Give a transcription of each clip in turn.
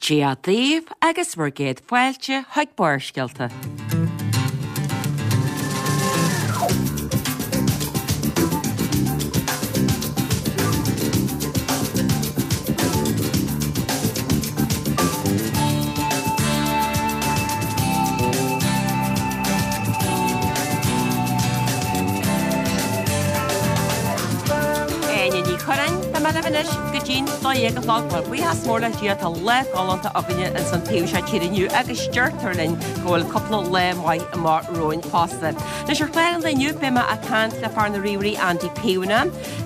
Dia daoibh agus bhur gcéad fáilte chuig Barrscéalta. Áine Ní Churráin, tá mé libh anois go dtí'n 12 a chlog. Bhuel, buíochas mór le Dia, tá lá galánta againne ins an taobh seo tíre inniu agus deirtear linn go bhfuil cúpla lá maith amach romhainn fosta. Anois ar chlár an lae inniu beidh mé ag caint le fear na ríomhairí Andy Peona,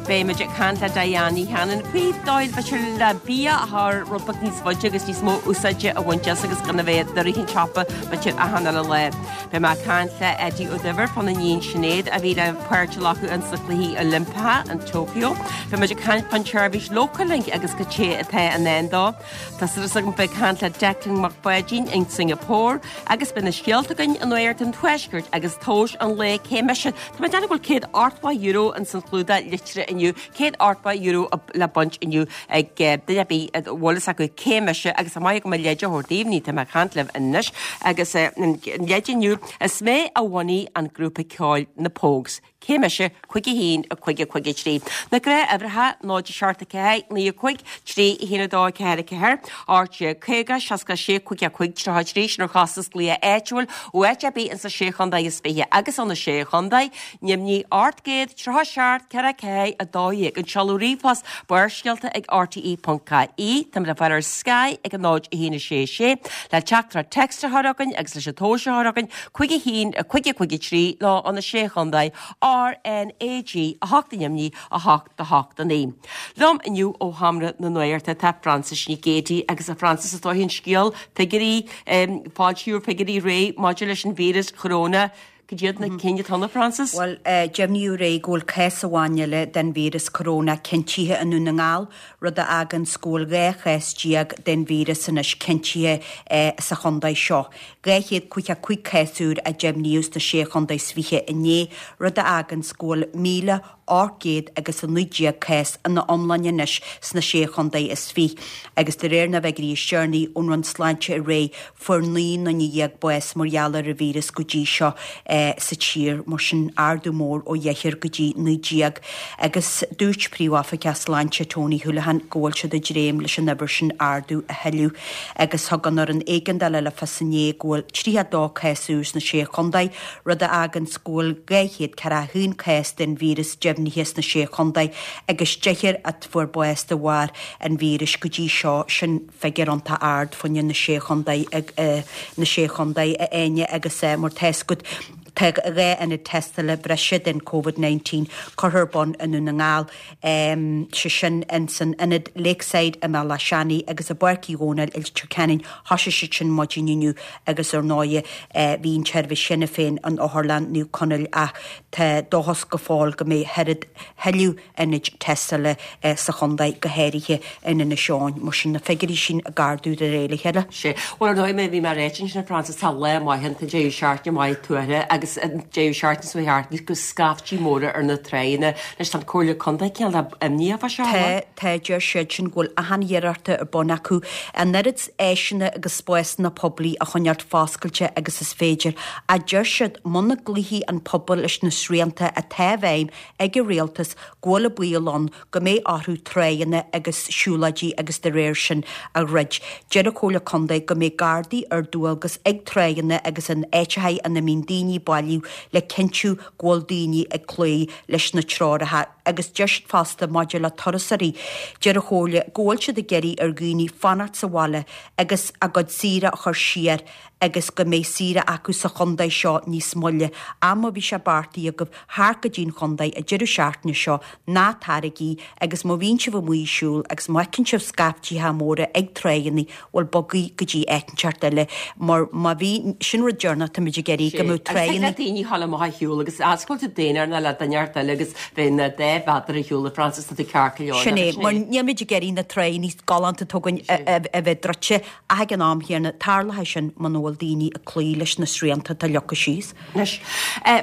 beidh muid ag caint le Diane Ní Chanainn faoi dóigh b'fhéidir le bia a chur rud beag níos faide agus níos mó úsáide a bhaint as agus gan a bheith ag rith an tsiopa b'fhéidir achan uile lá. Beidh mé ag caint le Eddie Ó Duibhir fána iníon Sinéad a bhí le páirt a ghlacadh ins na Cluichí Oilimpeacha in Tokyo. Beidh muid ag caint fán tseirbhís Localink agus cad é atá i ndán dó. Tá súil agam bheith ag caint le Declan Mac Pháidín in Singapore agus beidh na scéalta againn i Nuacht an Tuaiscirt agus tomhas an lae cé mise. Tá mé ag déanamh go bhfuil €180 ins an chlúdach litrithe inniu, €180 le baint inniu ag duine ar bith a bhfuil fhios acu cé mise agus tá maith agam an leid a thabhairt daoibh, ní tá mé ag caint libh anois agus an leid inniu, is mé a bhunaigh an grúpa ceoil Na Pogues. Cé mise? 5 1 5 5 3. Na gnáthuimhreacha, 0 7 4 9 5 3 1 2 4 4 18 50 66 5 5 33 Sin ar chostas glaoch áitiúil ó áit ar bith insa Sé Chontae is Fiche agus ó na Sé Chontae, Nimhní 837 4 4 12. An seoladh ríomhphost Barrscéalta ag rte.ie. Táimid le fáil ar Sky ag 0 1 6 6 le teachtaireacht text a chur chugainn agus leis an tomhas a chur chugainn 5 1 5 5 3 nó ó na Sé Chontae RnaG 8 Nimhní 8 8 9. Liom inniu ó Sheomra na Nuachta tá Frances Nic Géadaigh agus a Frances is dóigh an scéal figiúirí foilsíodh figiúirí aréir maidir leis an víreas choróna Cad iad na cinn atá ann, a Frances? Bhuel, deimhníodh aréir go bhfuil cás amháin eile den víreas coróna cinntithe i nDún na nGall, rud a fháganns go bhfuil 12 chás den víreas anois cinntithe sa chontae seo. 255 cás úr a deimhníodh sna Sé Chontae is Fiche inné, rud a fháganns go bhfuil 1,819 cás ina iomláine anois sna Sé Chontae is Fiche. Agus de réir na bhfigiúirí is deireanaí ón Roinn Sláinte aréir, Fuair 19 nduine bás mar gheall ar an víreas go dtí seo sa tír, mar sin ardú mór ó dheichniúr go dtí 19. Agus dúirt Príomh-Oifigeach Sláinte Tony Holohan go bhfuil siad ag dréim leis an uimhir sin ardú a thuilleadh. Agus thug an Fhoireann Éigeandála le fios inné go bhfuil 32 cás úr sna Sé Chontae, rud a fháganns go bhfuil 241 cás den víreas deimhnithe sna Sé Chontae agus deichniúr a fuair bás de bharr an víris go dtí seo. Sin. figiúr iontach ard fá choinne na Sé Chontae na Sé Chontae a Áine agus mar tá fhios agat tá 2 ionad tástála breise den Covid-19 curtha ar bun i nDún na nGall, sé sin ins an ionad Lakeside i mBealach Seanaidh agus i bPáirc Uí Dhónaill i Leitir Ceanainn. Thosaigh siad sin maidin inniu agus ar ndóighe bhí an tseirbhís cheana féin in Otharlann Naomh Conaill ach tá dóchas go fóill go mbeidh thuilleadh ionaid tástála sa chontae, go háirithe in Inis Eoghain. Mar sin, na figiúirí sin ag ardú de réir a chéile. Sea. Bhuel, ar ndóigh, mar a bhí mé ag ráit ansin, a Frances, tá lá maith ann, tá an deireadh seachtaine maith tuartha agus an deireadh seachtaine seo thart, bhí scaiftí móra ar na tráigheanna. Anois, tá an Comhairle Contae cineál imníoch fá seo, an Tá, bhfuil? tá, deir siad sin go bhfuil achan iarracht ar bun acu an oiread áiseanna agus spásanna poiblí a choinneáilt foscailte agus is féidir. Ach deir siad muna gcloífidh an pobal leis na srianta atá i bhfeidhm ag an rialtas go bhfuil an baol ann go mbeidh orthu tráigheanna agus siúlóidí agus dá réir sin a dhruid. Deir an Chomhairle Contae go mbeidh Gardaí ar dualgas ag tráigheanna agus in áiteacha ina mbíonn daoine bailiú le cinntiú go bhfuil daoine ag cloí leis na treoracha agus deir siad fosta maidir le turasóirí, deir an Chomhairle go bhfuil siad ag iarraidh ar dhaoine fanacht sa bhaile agus a gcuid saoire a chur siar agus go mbeidh saoire acu sa chontae seo níos moille. Ach má bhí sé beartaithe agaibh theacht go dtí an chontae an deireadh seachtaine seo, ná taraigí agus má bhíonn sibh amuigh ag siúl agus má fheiceann sibh scaiftithe móra ag tráigheanna, bhuel bogaigí go dtí áit inteacht eile mar má bhí, sin rud deireanach táimid ag iarraidh, go mbeadh Agus thig le daoine a ghabháil amach ar shiúl agus oscailt tú daonáireamh ná le duine inteacht eile agus bheith na dá mhéadar ar shiúl a Frances, tá tú ceart go leor. Sin é, mar nílimid ag iarraidh na tráigheanna galánta atá againn a bheith druidte Ach ag an am chéanna, tarlóidh sin muna bhfuil. bhfuil daoine ag cloí leis na srianta atá leagtha síos. Anois,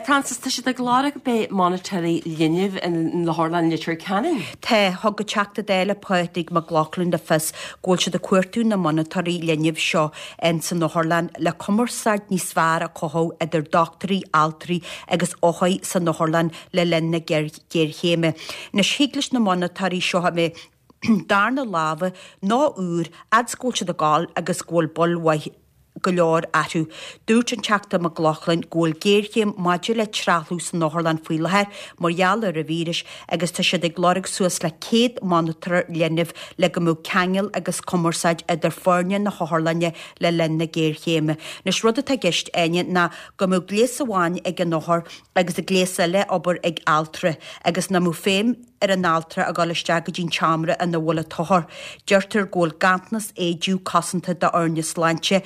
Frances, tá siad ag lorg beidh monatóirí linbh in Otharlann Leitir Ceanainn. Tá, thug an Teachta Dála Pádraig Mac Lochlainn le fios go bhfuil siad ag cuartú na monatóirí linbh seo in san otharlann le cumarsáid níos fearr a chothú idir dochtúirí, altraí agus othair san otharlann le linn na géarchéime. Anois, thig leis na monatóirí seo a mbeith darna lámha nó úr fhad 's go bhfuil siad ag gabháil agus go bhfuil bail mhaith go leor orthu. Dúirt an Teachta Mac Lochlainn go bhfuil géarchéim maidir le trealamh san otharlann faoi láthair mar gheall ar an víreas agus tá siad ag lorg suas le 100 monatóir linbh le go mbeadh ceangal agus cumarsáid idir foirne na hotharlainne le linn na géarchéime. Anois rud atá i gceist, Áine, ná go mbeadh gléas amháin ag an othar agus gléas eile ag obair ag altra agus nach mbeadh feidhm ar an altra a dhul isteach go dtí an tseomra ina bhfuil an t-othar. Deirtear go bhfuil ganntanas éide cosanta d'fhoirne sláinte.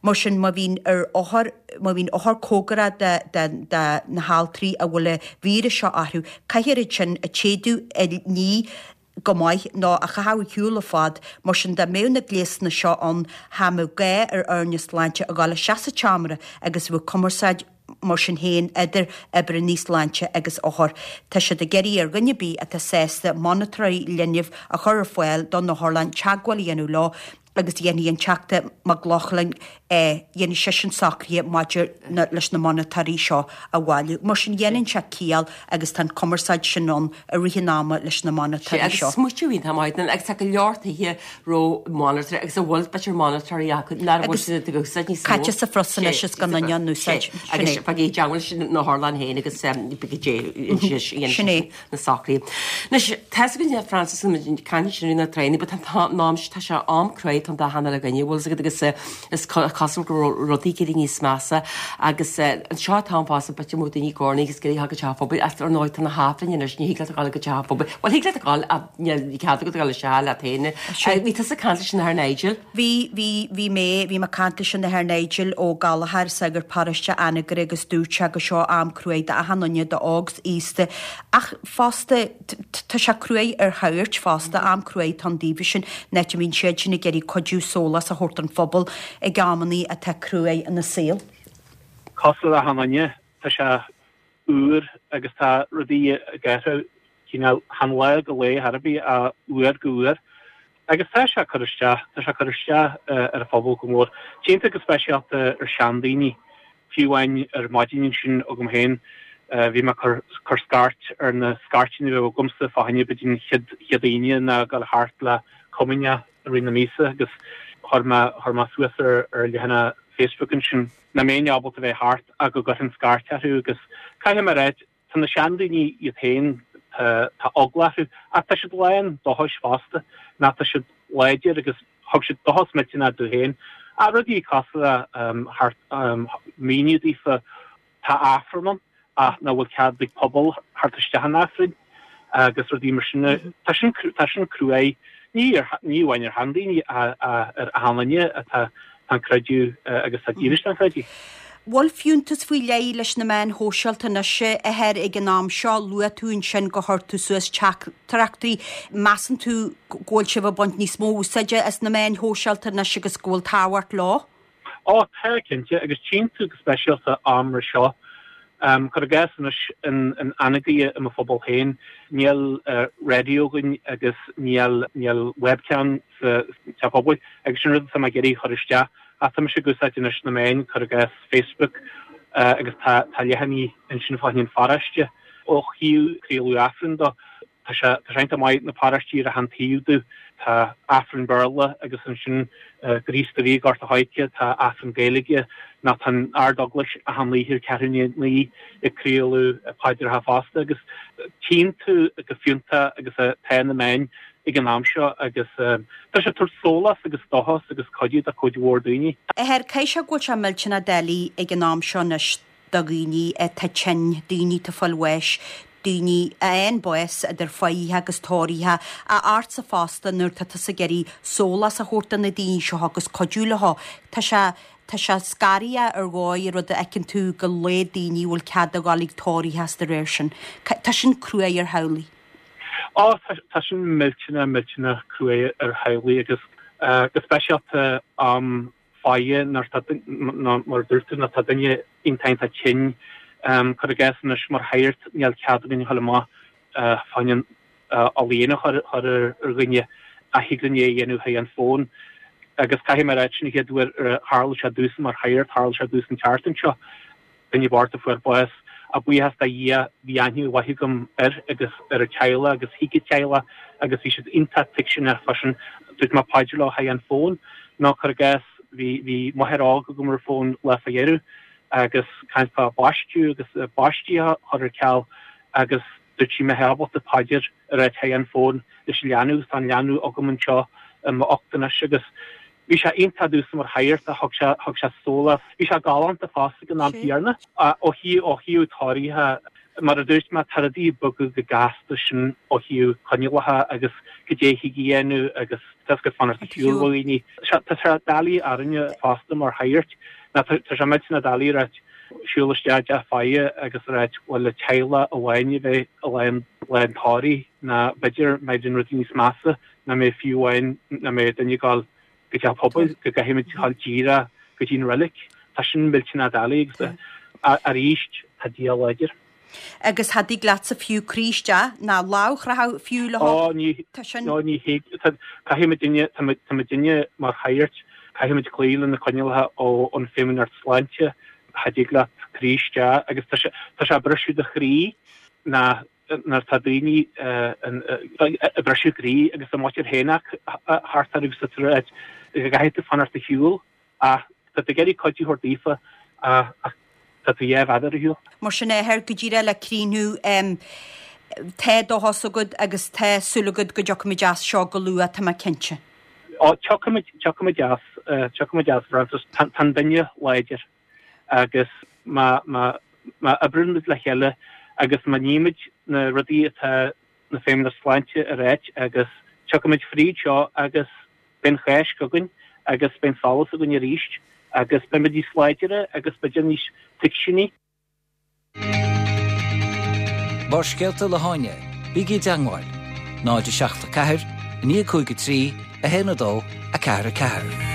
Mar sin, má bhíonn ar othar, má bhíonn othar cóngarach do, do, do na haltraí a bhfuil an víreas seo orthu, caithfear iad sin a téadú a ní go maith nó a chaitheamh ar shiúl ar fad. Mar sin, dá mbeadh na gléasanna seo ann, cha mbeadh gá ar fhoirne sláinte a dhul isteach sa tseomra agus bheadh cumarsáid Mar sin féin, idir oibrithe sláinte agus othair, tá siad ag iarraidh ar dhuine ar bith atá sásta monatóirí linbh a chur ar fáil don otharlann teagmháil a dhéanamh leo agus dhéanfaidh an Teachta Mac Lochlainn, dhéanfaidh seisean socruithe maidir leis na monatóirí seo a bhailiú. Mar sin, dhéanann sé ciall agus tá an cumarsáid sin ann i rith an ama leis na monatóirí seo. Agus smaoitiú iontach maith agus tá go leor tithe raibh monatóirí agus a bhfuil b'fhéidir monatóirí acu nach bhfuil siad ag úsáid níos mó. Caite sa phus anois is gan duine á n-úsáid. Sin é. Agus bheidh teagmháil leis an otharlann féin agus beidh Sin é. na socruithe. Anois, tá 'fhios againn Frances an caint sin na tréine, but tá an tá sé am cruaidh tá an dá theanga againne, bhfuil 'fhios agat agus is cosúil go raibh rudaí ag éirí níos measa agus anseo atá an fás b'fhéidir mó daoine gornaí agus ag iarraidh go teach phobail ach ar ndóigh tá na hAifrinn anois ní thig leat a ghabháil go teach phobail. Bhuel thig leat a ghabháil ach níl cead agat a ghabháil isteach leat féin. Bhí tusa ag caint leis an Athair Nigel? Bhí, bhí, bhí mé, bhí mé ag caint leis an Athair Nigel Ó Gallchóir, sagart paróiste Anagaire agus dúirt sé gur seo am cruaidh d'achan duine, d'óg 's aosta ach fosta tá sé cruaidh ar shagairt fosta, am cruaidh atá ann daofa sin, an áit a mbíonn siad sin ag iarraidh cuidiú sólás a thabhairt don phobal ag amannaí atá cruaidh ina saol. Cosúil le achan duine, tá sé úr agus tá rudaí ag athrú cineál chan lá go lá ar bith ach uair go huair. Agus tá sé ag cur isteach, tá sé ag cur isteach ar an phobal go mór. Déanta go speisialta ar seandaoine. Fiú amháin ar maidin ansin agam féin, bhí mé ag cur cur scairt ar na scairteanna a bheadh agamsa fá choinne b'fhéidir an chéad chéad Aoine ná dul thart le comaoineach i rith na míosa agus chuir mé chuir mé suas ar ar leathanach Facebook ansin nach mbeinn ábalta bheith thart ach go gcuirfinn scairt orthu agus caithfidh mé a ráit, tá na seandaoine iad féin, tá tá eagla orthu ach tá siad lán dóchais fosta, ná tá siad láidir agus thug siad dóchas millteanach domh féin. Ach rudaí cosúil le thart míniú daofa Tá Aifreann ann ach nach bhfuil cead ag pobal theacht isteach an Aifrinn agus rudaí mar sin. Tá sin tá sin cruaidh ní ar ní amháin ar sheandaoine ach ar achan duine atá tá an creideamh agus tá dílis don chreideamh. Bhfuil fiúntas faoi leith leis na meáin shóisialta anois a Athair ag an am seo? Luaigh tú ansin gur chuir tú suas teachtaireachtaí. Measann tú go bhfuil sibh ag baint níos mó úsáide as na meáin shóisialta anois agus go bhfuil tábhacht leo? Ó, tá, cinnte, agus tchíonn tú go speisialta am mar seo. Cuir i gcás anois in Anagaire i mo phobal féin, níl raidió againn agus níl níl webcam sa teach pobail agus sin rud atá mé ag iarraidh a chur isteach. Ach tá mise ag úsáid anois na meáin, cuir i gcás Facebook, agus tá tá leathanaigh ansin fá choinne an pharóiste. Ó thaobh craoladh Aifrinn dó, Tá sé tá sé iontach maith na paróistí ar achan taobh domh. Tá Aifreann Béarla agus ansin Gríost a Bhí Gort a' Choirce, tá Aifreann Gaeilge nó tá an Ard-Eaglais achan oíche ar ceathrú i ndiaidh 9 ag craoladh paidreacha fosta agus tchíonn tú go fiúntach agus atá na meáin ag an am seo agus tá sé ag tabhairt sólás agus dóchas agus cuidiú do chuid mhór daoine. Athair, caithfidh sé go bhfuil sé millteanach doiligh ag an am seo anois do dhaoine atá tinn, daoine atá ag fáil bháis, daoine a fhaigheann bás idir fáidhithe agus tóraithe, ach ortsa fosta nuair atá tusa ag iarraidh sólás a thabhairt do na daoine seo agus cuidiú leo. Tá sé, tá sé scaraitheach ar dhóigh an rud a fheiceann tú go laghad daoine a bhfuil cead a dhul ag tórraithe is de réir sin. Tá sin cruaidh ar theaghlaigh. Ó, tá, tá sin millteanach, millteanach cruaidh ar theaghlaigh agus go speisialta am. faire nuair tá, mar a dúirt tú, nuair tá duine iontach iontach tinn. Cuir i gcás anois mar shagart níl cead againn a dhul amach fá choinne ola a chur ar dhuine ach thig linn é a dhéanamh thrí an fón. Agus caithfidh mé a ráit sin an chéad uair a tharla sé domhsa mar shagart, tharla sé domhsa an tseachtain seo. Duine bocht a fuair bás. Ach buíochas do Dhia bhí aithne mhaith agam air agus ar a teaghlach agus thuig a teaghlach agus bhí siad iontach tuigseanach freisin. Dúirt mé paidir leo thrí an fón. Nó cuir i gcás bhí bhí máthair óg agam ar an fón lá fá dheireadh agus caint fá baisteadh agus baistí a chur ar ceal agus dúirt sí an mbeifeá ábalta paidir a ráit thrí an fón leis an leanbh agus tá an leanbh agam anseo i m'ucht anois agus Bhí sé iontach domhsa mar shagart, thug sé, thug sé sólás. Bhí sé galánta fosta ag an am céanna. Ó thaobh, ó thaobh tórraithe, mar a dúirt mé, tá rudaí ag bogadh go gasta sin ó thaobh coinníollacha agus cad é thig a dhéanamh agus tá a fhios agat fanacht ar shiúl ó dhaoine. Tá sé doiligh orainne fosta mar shagairt, nó tá sé millteanach doiligh a ráit, siúl isteach i dteach faire agus a ráit bhuel le teaghlach amháin a bheith i lá an, lá an tórraimh nó b'fhéidir mbeidh rudaí níos measa nach mbeidh fiú amháin nach mbeidh duine ag dul go teach pobail, go gcaithfimid dul díreach go dtí an reilig. Tá sin millteanach doiligh agus arís tá Dia láidir. Agus cha dtig leatsa fiú croí isteach ná lámh a chroitheadh fiú le Ó ní, Tá sin. Ó ní thig, caithfimidinne, tá muidinne mar shagairt, caithfimid cloí le na coinníollacha ón Feidhmeannacht Sláinte, cha dtig leat croí isteach agus tá sé, tá sé ag briseadh do chroí ná nuair atá daoine ag briseadh croí agus a muintir féin thart orthu sa tsráid, go gcaithfidh tú fanacht ar shiúl ach tá tú ag iarraidh cuidiú a thabhairt daofa ach tá tú dhá mhéadar ar shiúl. Mar sin a athair, go díreach le críochnú, tá dóchas agat agus tá súil agat go dtiocfaimid as seo go luath, tá mé cinnte. Ó, tiocfaimid, tiocfaimid as, tiocfaimid as, Frances. Tá an duine láidir. agus má oibríonn muid le chéile agus má nímid na rudaí atá na Feidhmeannacht Sláinte a ráit agus tiocfaimid fríd seo agus beidh an Cháisc againn agus beidh an solas againn arís agus beimid níos láidire agus b'fhéidir níos tuigseanaí. Barrscéalta le hÁine, bígí i dteangmháil, 0 7 4 9 5 3 1 2 4 4.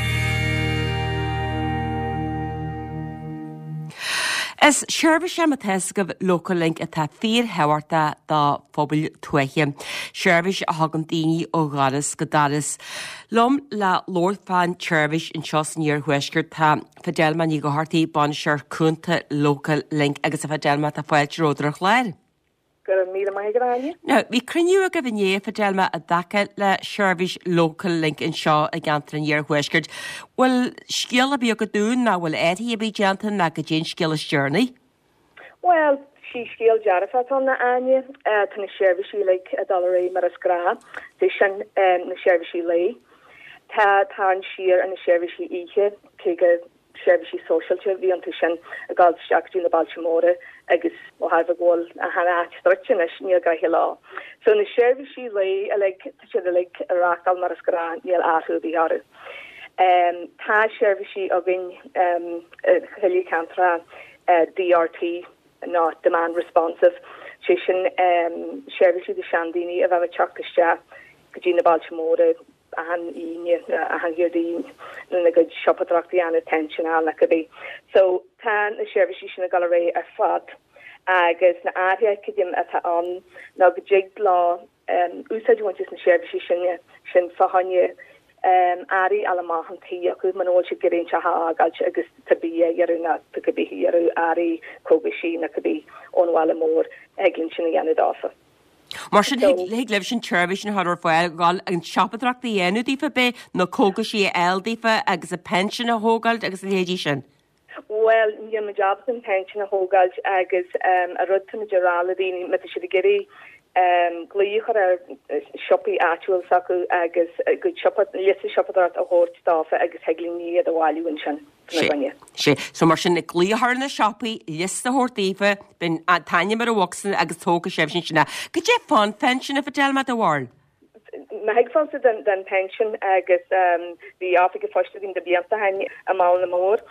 Is seirbhís é má tá fhios agaibh Local Link atá fíorthábhachtach do phobail tuaithe. Seirbhís a thugann daoine ó dhoras go doras. Liom le labhairt fán tseirbhís anseo san Iarthuaisceart tá Fidelma Ní Dhochartaigh, Bainisteoir Cúnta Local Link agus a Fidelma tá fáilte romhat ar an chlár. Go raibh míle maith agat, Áine. Now, bhí cruinniú agaibh inné, a Fidelma, i dtaca le seirbhís Local Link anseo i gceantar an Iarthuaiscirt. Bhfuil scéal ar bith agat dúinn, nó bhfuil athruithe ar bith déanta, nó goidé an scéal is deireanaí? Bhuel, sí scéal dearfach atá ann, a Áine. Tá na seirbhísí uilig ag dul ar aghaidh mar is gnáth. Sé sin, na seirbhísí lae. Tá tarraingt siar ar na seirbhísí oíche, cé go seirbhísí sóisialta a bhí iontu sin ag dul isteach go dtí na bailte móra agus ó thairbhe go bhfuil achan áit druidte anois, níl gnoithe leo. So na seirbhísí lae uilig, tá siad uilig ag reáchtáil mar is gnáth, níl athrú ar bith orthu. Tá seirbhísí againn i chuile cheantar DRT nó Demand Responsive, sé sin seirbhísí do seandaoine a bheadh ag teacht isteach go dtí na bailte móra achan Aoine, achan Déardaoin lena gcuid siopadóireachta a dhéanamh, pension a fháil nó cibé. So tá na seirbhísí sin ag dul ar aghaidh ar fad agus na athruithe creidim atá ann ná go dtig leo úsáid a bhaint as na seirbhísí sin sin fá choinne earraí a fháil amach an tí acu muna bhfuil siad ag iarraidh an teach a fhágáilt agus tá bia a iarraidh nó tá cibé a iarraidh earraí cógaisí nó cibé ón bhaile mór thig linn sin a dhéanamh dófa. Mar sin, thig libhse an tseirbhís sin a chur ar fáil, dhul an tsiopadóireacht a dhéanamh daofa, b'é, na cógaisí a fháil daofa agus a pension a thógáilt agus a leithéidí sin? Bhuel, níl muid ábalta an pension a thógáilt agus an rud tá muid a rá le daoine, má tá siad ag iarraidh glao a chur ar siopaí áitiúil s'acu agus a gcuid siopa, liosta siopadóireacht a thabhairt dófa agus thig linn iad a bhailiú ansin fá gcoinne. Sé. So mar sin, glao a chur ar na siopaí, liosta a thabhairt daofa, beidh an t-ainm ar an bhocsa agus tógfaidh sibhse ansin é. Goidé fán phension a Fidelma, do bharúil? Má thuigfeása den pension agus bhí oifig an phoist againn do bhlianta ó shin i mBaile na Mór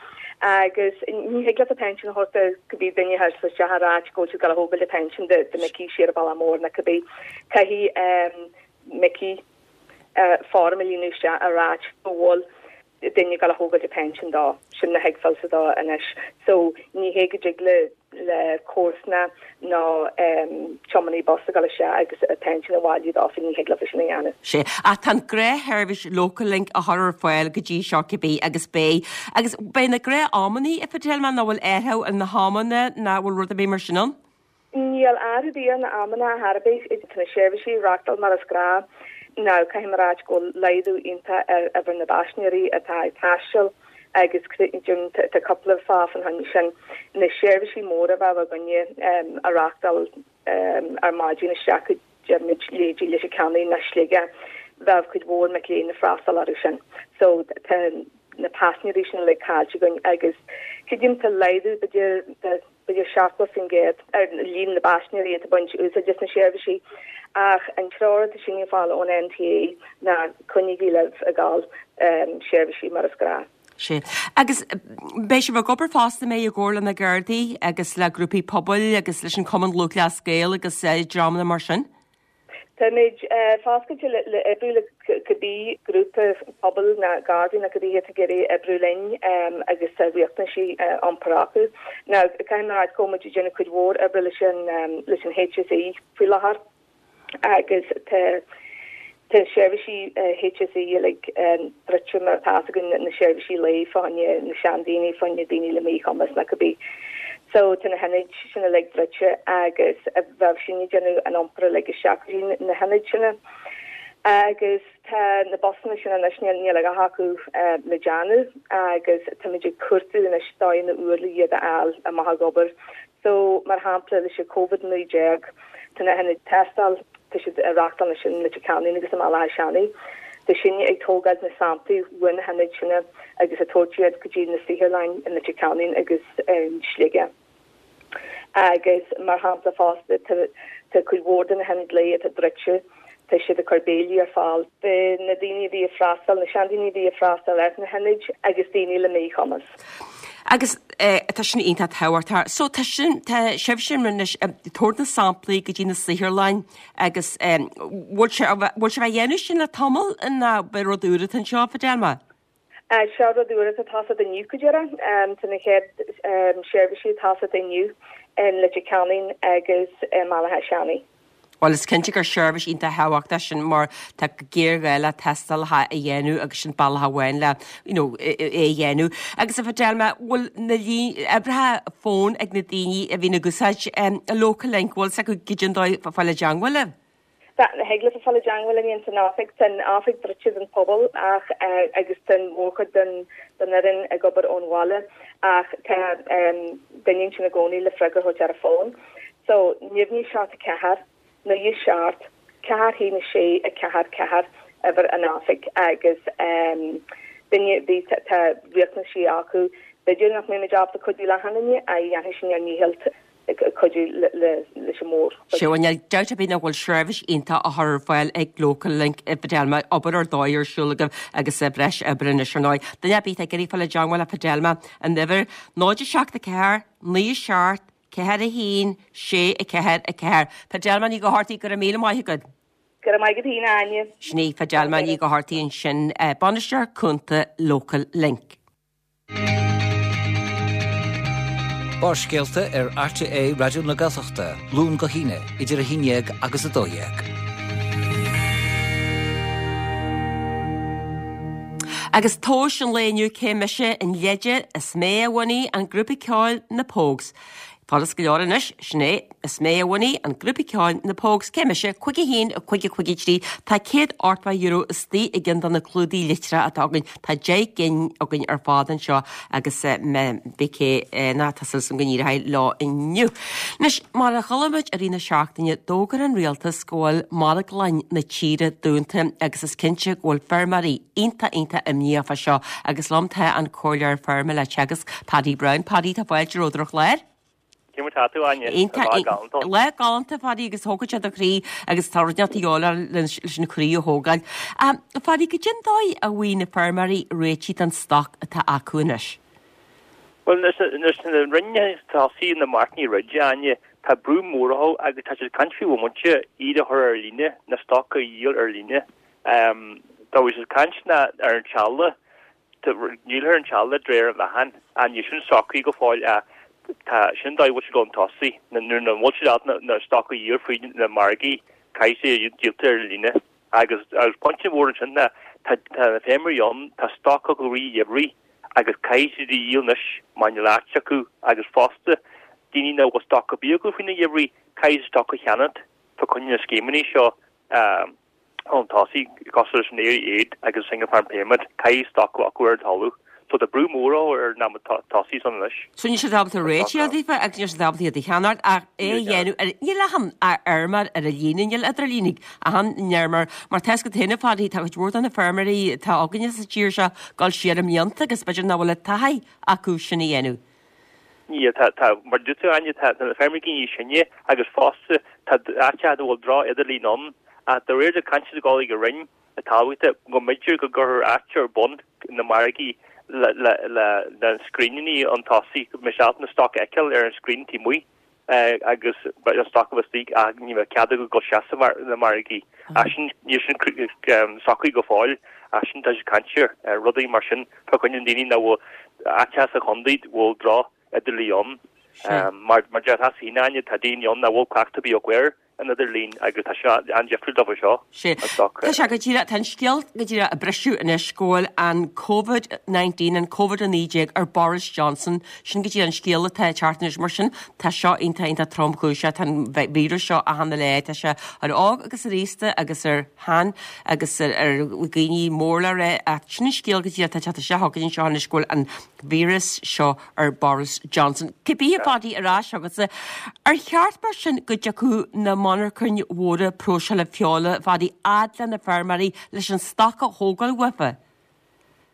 agus ní thig leat an pension a thabhairt do cibé duine a théas isteach ag ráit go bhfuil siad ag dul a thógáil an pension do do Micí siar i Bealach Mór nó cibé. Caithfidh Micí form a líonadh isteach ag ráit go bhfuil. duine ag gabháil a thógáil a pension dó, sin a thuigbheálsa dó anois. So ní hé go dtig le le comharsana nó tiománaí bus a ghabháil isteach agus a pension a bhailiú dófa, ní thig leofa sin a dhéanamh. Sea, ach tá an gnáthsheirbhís Local Link á chur ar fáil go dtí seo cibé agus beidh. Agus beidh na gnáth-amannaí a Fidelma nó bhfuil athrú ar na hamanna nó bhfuil rud ar bith mar sin ann? Níl athrú ar bith ar na amanna ar chor ar bith. Tá na seirbhísí ag reachtáil mar is gnáth. Now caithfidh mé a ráit go bhfuil laghdú iontach ar uimhir na bpaisinéirí atá ag taisteal agus tá cúpla fáth fán choinne sin. Na seirbhísí móra a bheadh againne a reachtáil ar maidin isteach go deirimid leithéidí Leitir Ceanainn nó Sligeach, bheadh cuid mhór mic léinn ag freastal orthu sin. So tá na paisinéirí sin uilig caillte againn agus creidim tá laghdú b'fhéidir de b'fhéidir 70% ar líon na bpaisinéirí atá ag baint úsáid as na seirbhísí, ach an treoir atá sinne ag fáil ón NTA ná coinnígí libh ag gabháil seirbhísí mar is gnáth. Sea. Agus beidh sibh ag obair fosta, an mbeidh, i gcomhar le na Gardaí agus le grúpaí pobail agus leis an Cumann Lúthchleas Gael agus dreamanna mar sin? Táimid foscailte le oibriú le cibé grúpa pobail nó Gardaí nó cibé atá ag iarraidh oibriú linn agus tá riachtanaisí iompair acu. Now, caithfidh mé a ráit go bhfuil muid ag déanamh cuid mhór oibre leis an leis an HSE faoi láthair agus tá Tá seirbhísí HSE uilig druidte mar atá fhios againn, na seirbhísí lae fá choinne na seandaoine, fá choinne daoine le míchumas nó cibé. So tá na hionaid sin uilig druidte agus bheadh sinne ag déanamh an iompar uilig isteach go dtí na hionaid sin. Agus tá na busanna sin anois, níl a dhath acu le déanamh agus táimid ag cuartú anois dóigheanna úr le iad a fháil amach ag obair. So, mar shampla, leis an Covid-19, tá na hionaid tástála, tá siad á reachtáil anois i Leitir Ceanainn agus i mBaile Átha Seanaidh. Tá sinne ag tógáil na samplaí uaidh na hionaid sin agus ag tabhairt iad go dtí na saotharlanna i Leitir Ceanainn agus i Sligeach. Agus, mar shampla fosta, tá cuid mhór de na hionaid lae atá druidte, tá siad ag cur béilí ar fáil do na daoine a bhí ag freastal, na seandaoine a bhí ag freastal ar na hionaid agus daoine le míchumas. Agus tá sin iontach tábhachtach. So tá sin, tá sibhse anois ag tabhairt na samplaí go dtí na saotharlanna agus bhfuil sé, bhfuil sibh á dhéanamh sin le tamall nó ab é rud úr atá anseo, Fidelma? Seo rud úr atá tosaithe inniu go díreach. Tá na chéad seirbhísí ag tosacht inniu i Leitir Ceanainn agus i mBaile Átha Seanaidh. Bhuel, is cinnte gur seirbhís iontach thábhachtach sin mar tá géarghá le tástálacha a dhéanamh agus sin bealach amháin le you know é a dhéanamh. Agus a Fidelma, bhfuil na uimhreacha fóin ag na daoine a bhíonn ag úsáid Local Link, bhfuil 's acu goidé an dóigh fáil i dteangmháil libh? Tá, thig leofa fáil i dteangmháil linn san oifig. Tá an oifig druidte don phobal ach agus tá an mhórchuid den fhoireann ag obair ón bhaile ach tá duine ansin i gcónaí le freagra a thabhairt ar an bhfón. So, neamhní 7 4, 9 7, 4 1 6 4 4 uimhir an oifig agus duine ar bith tá riachtanaisí acu, b'fhéidir nach mbeimid ábalta cuidiú le achan duine ach dhéanfaidh sinn ár ndícheall cuidiú leis an mórchuid. Sea, bhuel níl dabht ar bith ná go bhfuil seirbhís iontach á chur ar fáil ag Local Link a Fidelma, obair ar dóigh ar siúl agaibh agus breis oibre anois ar ndóigh. Duine ar bith atá ag iarraidh fáil i dteangmháil le Fidelma, an uimhir 0 7 4 9 7 4 1 6 4 4. Fidelma Ní Dhochartaigh, go raibh míle maith agat. Go raibh maith agat féin, a Áine. Sin í Fidelma Ní Dhochartaigh ansin, Bainisteoir Cúnta Local Link. Barrscéalta ar RTÉ Raidió na Gaeltachta, Luan go hAoine, idir 11 agus 12. Agus tomhas an lae inniu cé mise an leide is mé a bhunaigh an grúpa ceoil Na Pogues. Furast go leor anois, sin é, is mé a bhunaigh an grúpa ceoil Na Pogues. Cé mise? 5 1 5 5 3 Tá €180 istigh i gceann de na clúdaigh litreach atá againn. Tá 10 gcinn againn ar fad anseo agus beidh cé ná tá súil agam go n-éireoidh leo inniu. Anois, mar a chuala muid i rith na seachtaine, d'fhógair an rialtas go bhfuil marglann na tíre dúnta agus is cinnte go bhfuil feirmeoirí iontach iontach imníoch fá seo agus liom tá an Comhairleoir Feirme le Teagasc, Paddy Browne. Paddy, tá fáilte romhat ar an chlár. Cé mar tá tú, Áine? Iontach, Lá galánta. Lá galánta, Phaddy, agus thógfadh sé do chroí agus tá rud inteacht a dhíobháil leis an chroí a thógáil. Phaddy, goidé an dóigh a bhfaighidh na feirmeoirí réitigh don stoc atá acu anois? Bhuel, nuair a rinne tosaigh na Máirt Ní Ride, Áine, tá brú mór orthu agus tá siad ag caint faoi bhomaite iad a chur ar líne, na stoc a dhíol ar líne. Tá siad ag caint ná ar an talamh. Díolfar an tseala de réir an mheáchain. Níl sin socraithe go fóill ach tá sin an dóigh a bhfuil siad ag dul chun tosaigh. Nuair nach bhfuil siad ábalta na stoc a dhíol fríd na margaí, caithfidh sé a díolta ar líne. Agus pointe mhór ansin ná tá na feirmeoirí ann, tá stoc acu i rith an gheimhridh agus caithfidh siad a dhíol anois mar níl áit acu agus fosta daoine nach bhfuil stoc ar bith acu faoin gheimhridh, caithfidh siad stoc a cheannacht fá choinne na scéimeanna seo. Chun tosaigh, cosúil leis an Éire Aid agus Single Farm Payment, caithfidh stoc a bheith acu ar an talamh. So tá brú mór ar na tosaigh san anois. So níl siad ábalta réiteach a daofa agus níl siad ábalta iad a cheannacht ach é a dhéanamh ar, níl achan fheirmeoir ar an líne, níl idir líne ag achan fheirmeoir mar tá 'fhios agat féin a Phadaí, tá cuid mhór de na feirmeoirí atá againne sa tír seo ag dul siar i mblianta agus b'fhéidir nach bhfuil an taithí acu sin a dhéanamh. Níl, tá, tá, mar dúirt tú Áine, tá na feirmeoirí níos sine agus fosta tá áiteacha a bhfuil droch-idirlíon ann ach de réir na cainte ag dul ag an Roinn Talmhaíochta go mb'fhéidir go gcuirfear áit ar bun na margaí le, le, le, le scríneanna chun tosaigh, go mbeidh siad ábalta na stoc a fheiceáil ar an scrín taobh amuigh agus an stoc a bheith istigh ach ní bheidh cead acu dul isteach sna margaí. Ach sin, níl sin socraithe go fóill ach sin tá siad ag caint ar rudaí mar sin fá choinne na ndaoine nach bhfuil áiteacha sa chontae a bhfuil droch idirlíon ann. Mar mar deir tú féin Áine, tá daoine ann nach bhfuil cleachtadh ar bith acu ar an idirlíon agus tá sé an-difriúil dóibh seo. Sea. Tá sé go díreach, tá an scéal go díreach ag briseadh anois go bhfuil an Covid-19, an Covid-19 ar Boris Johnson, sin go díreach an scéal atá ag teacht anois. Mar sin, tá seo iontach, iontach tromchúiseach, tá an víreas seo achan uile áit, tá sé ar óg agus ar aosta agus ar shean agus ar dhaoine mór le rá ach sin an scéal go díreach atá ag teacht isteach chugainn anseo anois go bhfuil an víreas seo ar Boris Johnson. Cibé a Phadaí ar ais chugatsa, ar cheart mar sin go dtiocfadh na monarchain mhóra próiseála feola, a Phadaí, fhad le na feirmeoirí leis an stoc a thógáil uafa?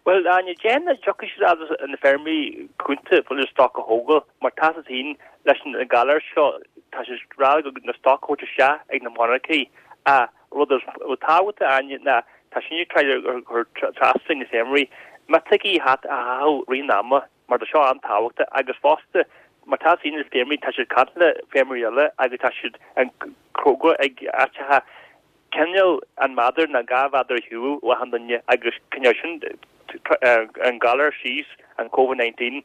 Bhuel, Áine, déarfainn nach dtiocfaidh siad fhad leis na feirmeoirí cúnta leis an stoc a thógáil mar tá a fhios agat féin leis an galar seo tá sé ag rá go na stoc a thabhairt isteach ag na monarchaí ach rud is tábhachtaí Áine ná tá sin ag tráth a chur trasna na feirmeoirí miotógaí a chaitheamh i rith an ama mar tá seo an-tábhachtach agus fosta mar tá a fhios ag na feirmeoirí tá siad ag caint le feirmeoirí eile agus tá siad an fógra ag áiteacha cineál an méadar nó 2 mhéadar ar shiúl ó achan duine agus cineál sin an galar síos an Covid 19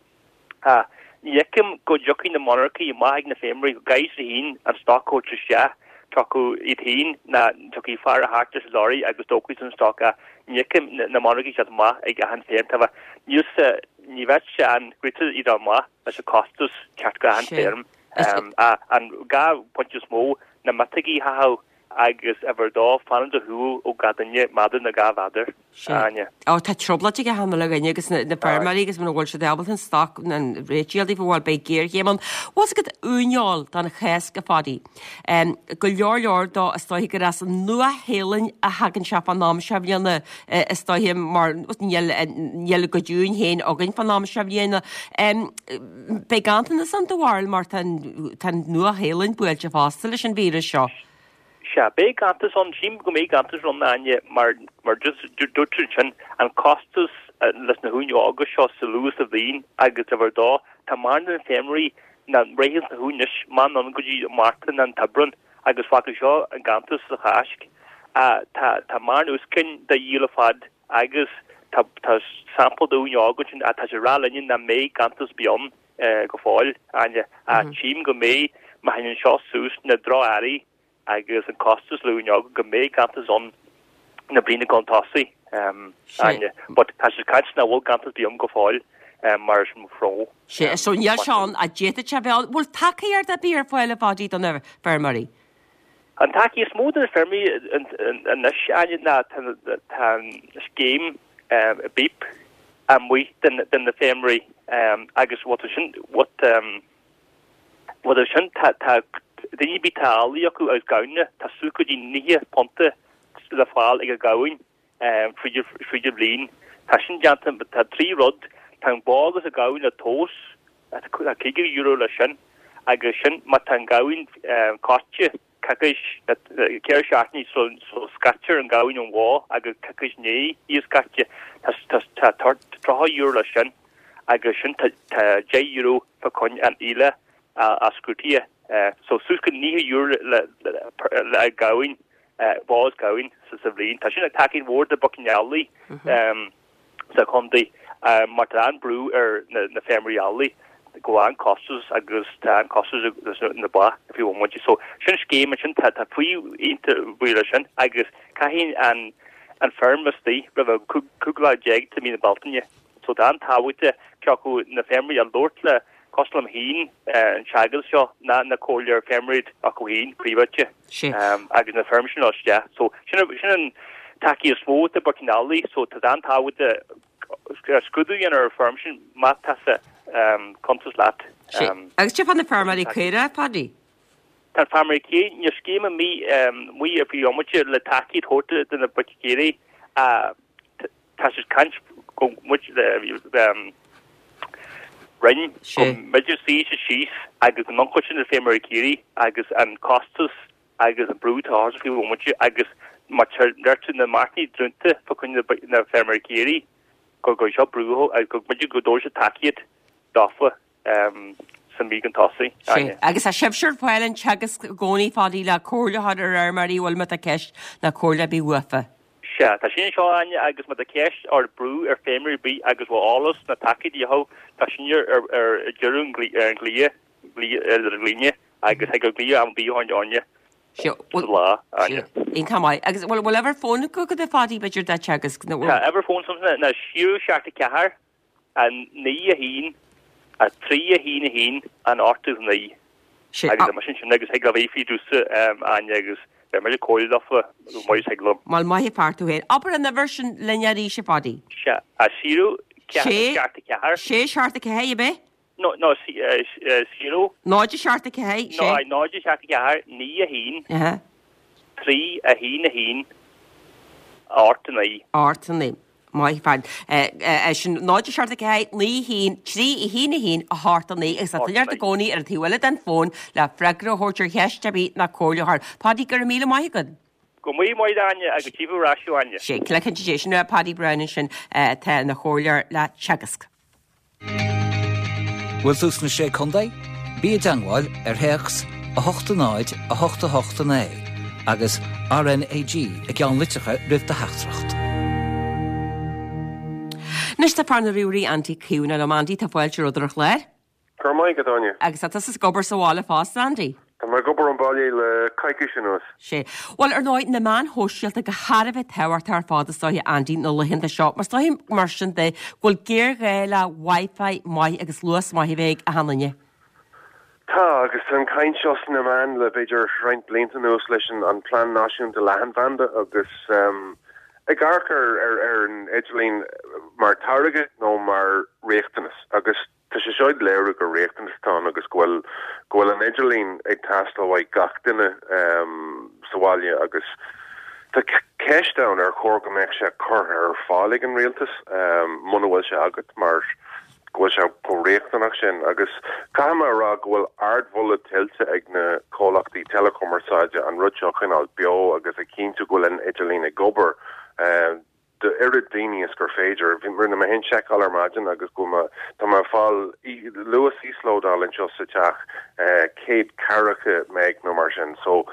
Ach ní fheicim go dtiocfaidh na monarchaí amach ag na feirmeoirí go gcaithfidh siad féin an stoc a thabhairt isteach, tiocfaidh iad féin ná tiocfaidh fear a theacht leis an lorry agus tógfaidh siad an stoc ach ní fheicim na monarchaí teacht amach ag achan feirm. Tá níl sa ní bheadh sé an-ghriota iad amach leis an costas teacht go achan feirm. Ach an 2 pointe is mó na miotógaí a chaitheamh agus uimhir a dó, fanacht ar shiúl ó gach duine méadar nó 2 mhéadar, a Áine. Ó, tá trioblóid ag achan uile dhuine agus na feirmeoirí agus muna bhfuil siad ábalta an stoc an réitigh a fháil daofa, bhuel, beidh géarchéim ann. Bhfuil 's agat uaineoil don Cháisc, a Phadaí. Go leor leor dó is dóiche gur as an Nua-Shéalainn a thagann sé fán am seo bhliana is dóiche mar níl níl a gcuid uain féin againn fán am seo bhliana. Beidh ganntanas ann do bharúil mar tá an Nua-Shéalainn buailte fosta leis an víreas seo. Sea, beidh ganntanas ann, sílim go mbeidh ganntanas ann, a Áine, mar, mar just dúirt tú ansin, an costas leis na huain óga seo sa luath sa bhliain agus uimhir a dó, tá mórán de na feirmeoirí nach rithfeadh na huain anois, meán ann go dtí Márta nó an tAibreán agus fágfaidh seo an ganntanas sa Cháisc. Tá, tá mórán úscáin de dhíol ar fad agus tá, tá sampla d'uain óg ansin ach tá sé ag rá linne nach mbeidh ganntanas ar bith ann. go fóill, Áine. Ach tchím go mbeidh, má théann seo suas na droch-earraí agus an costas le uain óga, go mbeidh ganntanas ann na bliana chun tosaigh, Áine. But tá siad ag caint nach bhfuil ganntanas ar bith ann go fóill, mar is mo Sea, so níl sé ann, ach d'fhéadfadh sé a bheith ann. Bhfuil tacaíocht ar bith ar fáil, a Phadaí, do na feirmeoirí? An tacaíocht is mó do na feirmeoirí anois, Áine, ná tá an scéim BIP amuigh do na feirmeoirí agus bhfuil tú sin, bhfuil sin, tá daoine ar bith tá eallaigh acu agus gamhna, tá suas go dtí £90 le fáil ag an ghamhain fríd an bhliain. Tá sin déanta, tá 3 rud, tá an bó agus an gamhain le tomhas, Tá €50 leis sin agus sin má tá an gamhain caite coicís, 4 seachtainí sula scaitear an gamhain ón bhó agus coicís i ndiaidh í a scaite, tá €30 leis sin agus sin tá €10 fá choinne an eallach a scrúdaithe. So suas go €90 le gamhain, bó is gamhain sa bhliain. Tá sin ag tacaíocht mhór do boicín eallaigh. Sa chontae mar tá an-brú ar na feirmeoirí eallaigh go bhfuil an-chostas agus tá an-chostas leis na ba faoi bhomaite. So sin scéim ansin tá tá faoi iontach bhuí leis sin agus caithfidh an an feirm istigh roimh an 15 lá de mí na Bealtaine. So tá an-tábhacht cé acu na feirmeoirí a labhairt le cosúil liom féin an Teagasc seo ná na comhairleoir feirmeoirí acu féin príobháideach agus na feirm sin isteach. So sin sin an tacaíocht is mó do boicín eallaigh so tá an-tábhacht scrúdú a dhéanamh ar an feirm sin má tá sa cuntas leat. Agus cad é fá na feirmeoirí caora, Phaddy? Tá na feirmeoirí caora, níl scéim amuigh ar faoi bhomaite le tacaíocht a thabhairt do na boic chaoirigh. Tá siad ag caint go muid le Roinn go mb'fhéidir suí siad síos agus go n-ionchur sin na feirmeoirí caoirigh agus an costas agus an brú atá orthu faoi bhomaite agus má deir na marcaí dúnta fá choinne na feirmeoirí caoirigh go gcuirfidh seo brú orthu agus go mb'fhéidir go dtabharfaidh siad tacaíocht dófa sa mhí chun tosaigh. Sea. Agus tá sibhse ar fáil in Teagasc i gcónaí, Phaddy, le comhairle a chur ar fheirmeoirí a bhfuil má tá ceist ná comhairle ar bith uafa. Sea, tá sin anseo, Áine, agus má tá ceist or brú ar feirmeoirí ar bith agus bhfuil eolas ná tacaíocht uathu, tá sin ar ar deireadh an ghlaoh, ar an líne agus thig leo glaoch am ar bith orainne Sea, sa lá, Áine. Iontach maith. Agus bhfuil uimhir fóin agat, a Phaddy, b'fhéidir, do Teagasc? Tá uimhir fóin ná 0 7 4 9 1 3 1 1 an 8 9. Agus tá mise ansin agus thig libh fiafraí domhsa Áine agus beidh mise ag comhairle leofa chomh maith is thig liom. Bhuel, maith an fear tú féin. Abair an uimhir sin linn arís, a Phaddy. Sea, 0 4 7 4. 6 7 4, ab ea? No, no, 0. 0 7 4, 6. No, 0 7 4 9 1 3 1 1 8 9. 8 9. Maith an fear. É sin 0 7 4 9 1 3 1 1 8 9 agus tá duine ort i gcónaí ar an taobh eile den fón le freagra a thabhairt ar cheist ar bith ná comhairle a chur. Paddy, go raibh míle maith agat. Go raibh míle maith agat Áine agus tchífidh ar ais thú Áine. Sé, cloicheann sé sin Paddy Browne ansin atá ina chomhairleoir le Teagasc. Bhfuil tú sna Sé Contae? Bí i dteangmháil ar théacs 8 0 8 8 9 agus RnaG i gceannlitreacha roimh do theachtaireacht. Anois tá fear na ríomhairí Andy Caomhánach liom. Andy, tá fáilte romhat ar an chlár. Go raibh maith agat, Áine. Agus tá tusa ag obair sa bhaile fosta, Andy? Tá mé ag obair ón baile le coicís anuas. Sea. Bhuel, ar ndóigh, na meáin shóisialta go thar a bheith tábhachtach ar fad is dóiche, Andy, na laethanta seo. Mar is dóiche, mar sin de, go bhfuil géarghá le Wi-Fi maith agus luas maith a bheith ag achan duine. Tá, agus tá an chaint seo sna meáin le b'fhéidir roinnt blianta anuas leis an Plean Náisiúnta Leathanbhanda agus ag amharc ar an idirlíon mar táirge nó mar riachtanas agus Tá sé seo ag léiriú gur riachtanas atá ann agus go bhfuil go bhfuil an idirlíon ag teastáil uaidh gach duine sa bhaile agus tá ceist ann ar chóir go mbeadh sé curtha ar fáil ag an rialtas muna bhfuil sé agat mar go bhfuil sé chomh riachtanach sin agus caithfidh mé a rá go bhfuil ardmholadh tuillte ag na comhlachtaí teileachumarsáide an rud seo a choinneáil beo agus a chinntiú go bhfuil an idirlíon ag obair. do oiread daoine is gur féidir. Rinne mé féin seiceáil ar maidin agus go bhfuil mé, tá mé ag fáil luas íoslódáil anseo sa teach 140 meg nó mar sin. So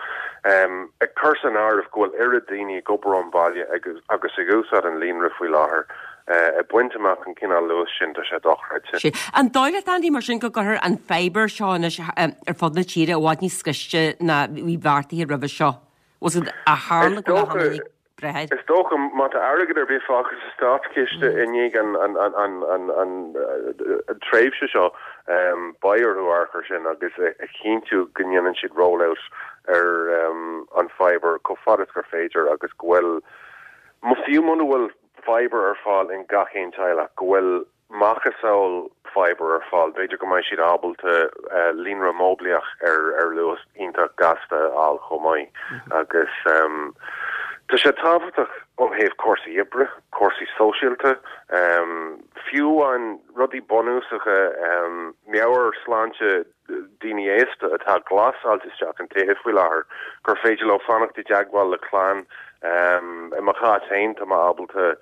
ag cur san áireamh go bhfuil oiread daoine ag obair ón bhaile agus agus ag úsáid an líonra faoi láthair, ag baint amach an cineál luas sin, tá sé dochreidte. Sea. An dóigh leat, Andy, mar sin, go gcuirfear an fibre seo anois ar fud na tíre i bhfad níos gaiste ná bhí beartaithe roimhe seo? Was it a tharla go leathan breith air. Is dócha, má tá airgead ar bith fágtha sa státchiste i ndiaidh an tréimhse seo, beidh orthu amharc air sin agus a chinntiú go ndéanann siad roll-out ar an fibre chomh fada is gur féidir agus go bhfuil, fiú muna bhfuil fibre ar fáil in gach aon teaghlach, go bhfuil macasamhail fibre ar fáil, b'fhéidir go mbeidh siad ábalta líonra móiblíoch ar luas iontach gasta a fháil chomh maith. Agus tá sé tábhachtach ó thaobh cúrsaí oibre, cúrsaí sóisialta, fiú amháin rudaí bunúsacha, meabhairshláinte daoine aosta atá glasáilte isteach in tithe faoi láthair, gur féidir leo fanacht i dteagmháil le clann. I mo chás féin, tá mé ábalta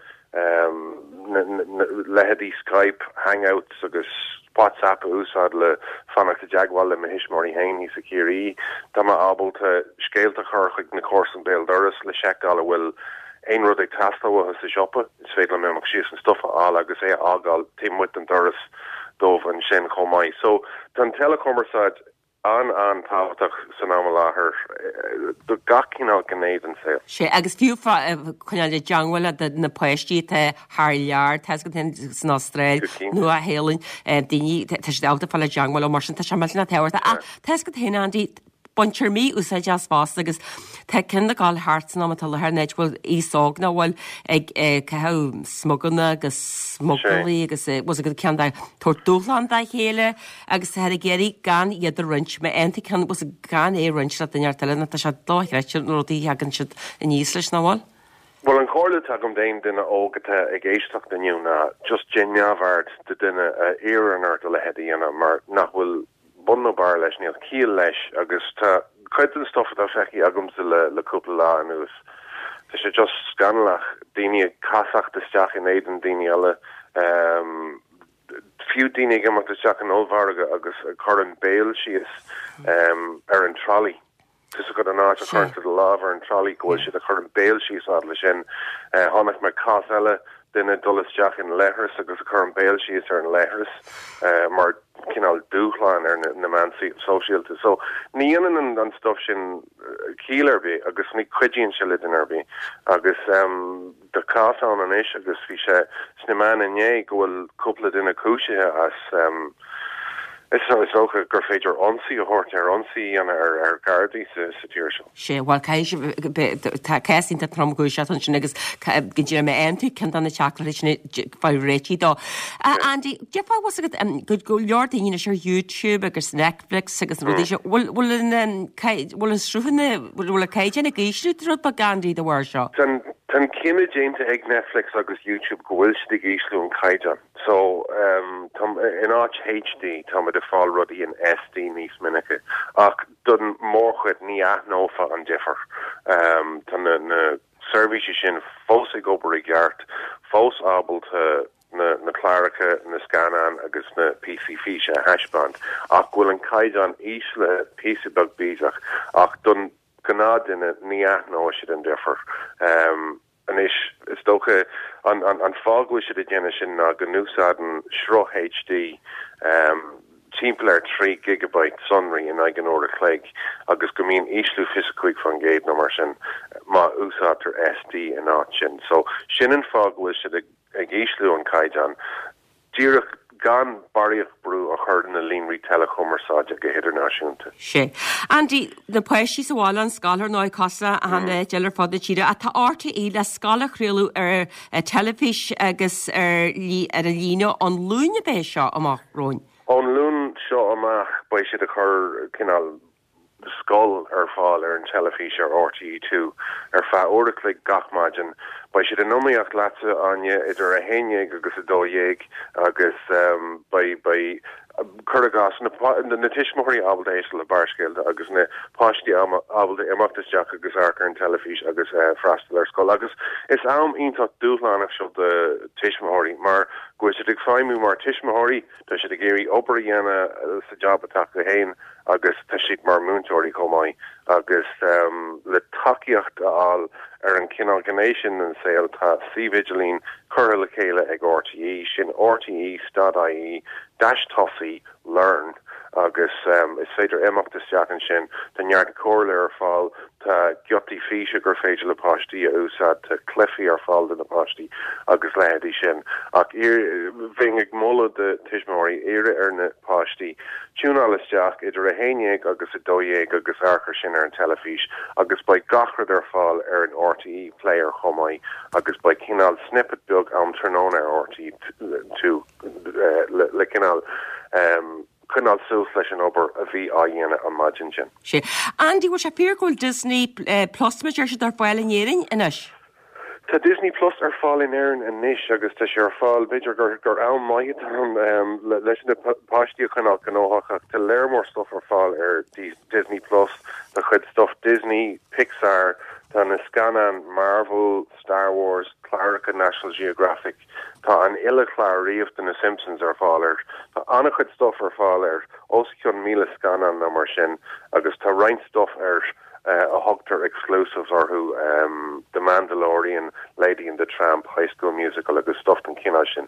leithéidí Skype, Hangouts agus WhatsApp a úsáid le fanacht i dteagmháil le mo thuismitheoirí féin thíos i Ciarraí. Tá mé ábalta scéalta a chur chuig na comharsain béal dorais le seiceáil an bhfuil. aon rud ag teastáil uathu sa siopa, is féidir liom imeacht síos an stuif a fháil agus é a fhágáil taobh amuigh den doras dóibh ansin chomh maith. So tá an teileachumarsáid an-an-tábhachtach san am i láthair do gach cineál gné den saol. Sea, agus fiú coinneáil i dteangmháil le na páistí atá thar lear, tá 'fhios agat féin san Astráil, Nua Shéalainn, daoine, tá siad ábalta fáil i dteangmháil leo mar sin, tá sé millteanach tábhachtach. Ach tá 'fhios agat féin, Andy, baintear mí-úsáid as fosta agus tá ceann ag gabháil thart san am atá i láthair an áit a bhfuil aos óg nach bhfuil ag caitheamh smuganna agus smugairlí agus bhfuil 'fhios agat ceann de tabhairt dúshlán dá chéile agus táthar ag iarraidh gan iad a roinnt. Má fhaigheann tú ceann bhfuil 'fhios agat gan é a roinnt le duine ar bith eile nó tá sé dochreidte na rudaí a thagann siad aníos leis nach bhfuil? Bhuel an chomhairle atá agam d'aon duine óg atá ag éisteacht inniu ná just déan neamhaird de duine a iarrann ort a leithéid a dhéanamh mar nach bhfuil bun nó barr leis, níl ciall leis agus tá cuid den stuff atá feicthe agamsa le le cúpla lá anuas, tá sé just scannalach, daoine ag casacht isteach in éadan daoine eile, fiú daoine ag imeacht isteach in ollmhargadh agus ag cur an béal síos ar an trolley. Tá 'fhios agat an áit a chuireann tú do lámh ar an trolley go bhfuil siad ag cur an béal síos fhad leis sin. Chonaic mé cás eile, duine ag dul isteach in leithreas agus ag cur an béal síos ar an leithreas mar cineál dúshlán ar na meáin sóisialta. So ní dhéanann an stuff sin ciall ar bith agus ní chuidíonn sé le duine ar bith. Agus tá cás ann anois agus bhí sé sna meáin inné go bhfuil cúpla duine cúisithe as Is dócha gur féidir ionsaí a thabhairt ar ionsaí a dhéanamh ar ar Ghardaí sa sa tír seo. Sea, bhuel, caithfidh sé, tá cás iontach tromchúiseach ansin agus go díreach má fhaigheann tú ceann de na teachtaireachtaí sin fáil réitithe dó. Andy, déarfá bhfuil 'fhios agat go leor daoine anois ar YouTube agus Netflix agus na rudaí seo, bhfuil bhfuil an bhfuil an sruthanna, bhfuil an caighdeán ag ísliú rud beag Andy de bharr seo? Tá an cinneadh déanta ag Netflix agus YouTube go bhfuil siad ag ísliú an caighdeán. So, tá, in áit HD, táimid ag fáil rudaí in SD níos minice. Ach don mórchuid, ní aithneofá an difear. Tá na, na seirbhísí sin fós ag obair i gceart, fós ábalta na, na cláracha, na scannáin agus na píosaí físe a thaispeáint, ach go bhfuil an caighdeán íslithe píosa beag bídeach. Ach don ghnáthduine, ní aithneoidh siad an difear. Anois, is dócha, an fáth go bhfuil siad ag déanamh sin ná go n-úsáideann sruth HD timpeall ar 3 gigabyte sonraí in aghaidh an uair a chloig agus go mbíonn ísliú 25% nó mar sin má úsáidtear SD in áit sin. So, sin an fáth go bhfuil siad ag ísliú an caighdeán. díreach gan barraíocht brú a chur ar na líonraí teileachumarsáide go hidirnáisiúnta. Sea. Andy, na páistí sa bhaile, an scoil ar ndóigh cosúil le achan áit eile ar fud na tíre, ach tá RTÉ le scoil a chraoladh ar teilifís agus ar ar an líne ón Luan ab é seo amach romhainn. Ón Luan seo amach beidh siad ag cur cineál scoil ar fáil ar an teilifís ar RTÉ 2 ar feadh uair a chloig gach maidin. Beidh siad in iomaíocht leatsa, Áine, idir 11 agus 12 agus beidh, beidh, cuir i gcás, na, na tuismitheoirí ábalta éisteacht le Barrscéalta agus na páistí ábalta imeacht isteach agus amharc ar an teilifís agus freastal ar scoil. Agus is am iontach dúshlánach seo do tuismitheoirí mar go bhfuil siad ag feidhmiú mar tuismitheoirí, tá siad ag iarraidh obair a dhéanamh sa jab atá acu féin, agus tá siad mar múinteoirí chomh maith agus le tacaíocht a fháil ar an chineál gné sin den saol tá suíomh idirlín curtha le chéile ag RTÉ, sin rte stad ie dash tosaigh learn agus is féidir imeacht isteach ansin, tá neart comhairle ar fáil, tá giotaí físe gur féidir le páistí a úsáid, tá cluichí ar fáil do na páistí agus leithéidí sin. Ach bheinn ag moladh do tuismitheoirí iarraidh ar na páistí Tiúnáil isteach idir 11 agus 12 agus amharc ar sin ar an teilifís agus beidh gach rud ar fáil ar an RTÉ Player chomh maith agus beidh cineál snippet beag am tráthnóna ar RTÉ 2 le cineál coinneáil suas leis an obair a bhí á dhéanamh an maidin sin. Sea. Andy, bhfuil sé fíor go bhfuil Disney Plus, mar a deir siad, ar fáil in Éirinn anois? Tá Disney Plus ar fáil in Éirinn anois agus tá sé ar fáil, b'fhéidir gur gur am maith atá ann leis na páistí a choinneáil gnóthach ach tá léar mór stuff ar fáil ar Disney Plus, tá cuid stuff Disney, Pixar, tá na scannáin Marvel, Star Wars, cláracha National Geographic, tá an uile chlár riamh de na Simpsons ar fáil air. Tá an-chuid stuff ar fáil air, os cionn 1,000 scannán nó mar sin agus tá roinnt stuff air. a thugtar exclusives orthu, The Mandalorian, Lady and the Tramp, High School Musical agus stuff den chineál sin.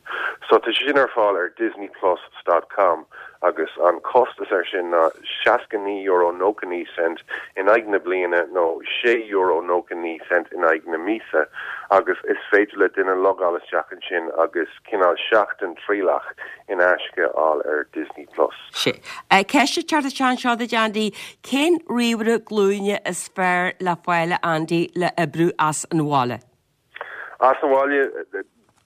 So tá sé sin ar fáil ar Disneyplus dot com agus an costas air sin ná €69.99 in aghaidh na bliana nó €6.99 in aghaidh na míosa agus is féidir le duine logáil isteach ansin agus cineál seachtain trialach in aisce a fháil ar Disney Plus. Sea. Ceist ag teacht isteach anseo duit, Andy. Cén ríomhaire glúine is fearr le fáil, a Andy, le oibriú as an bhaile? As an bhaile,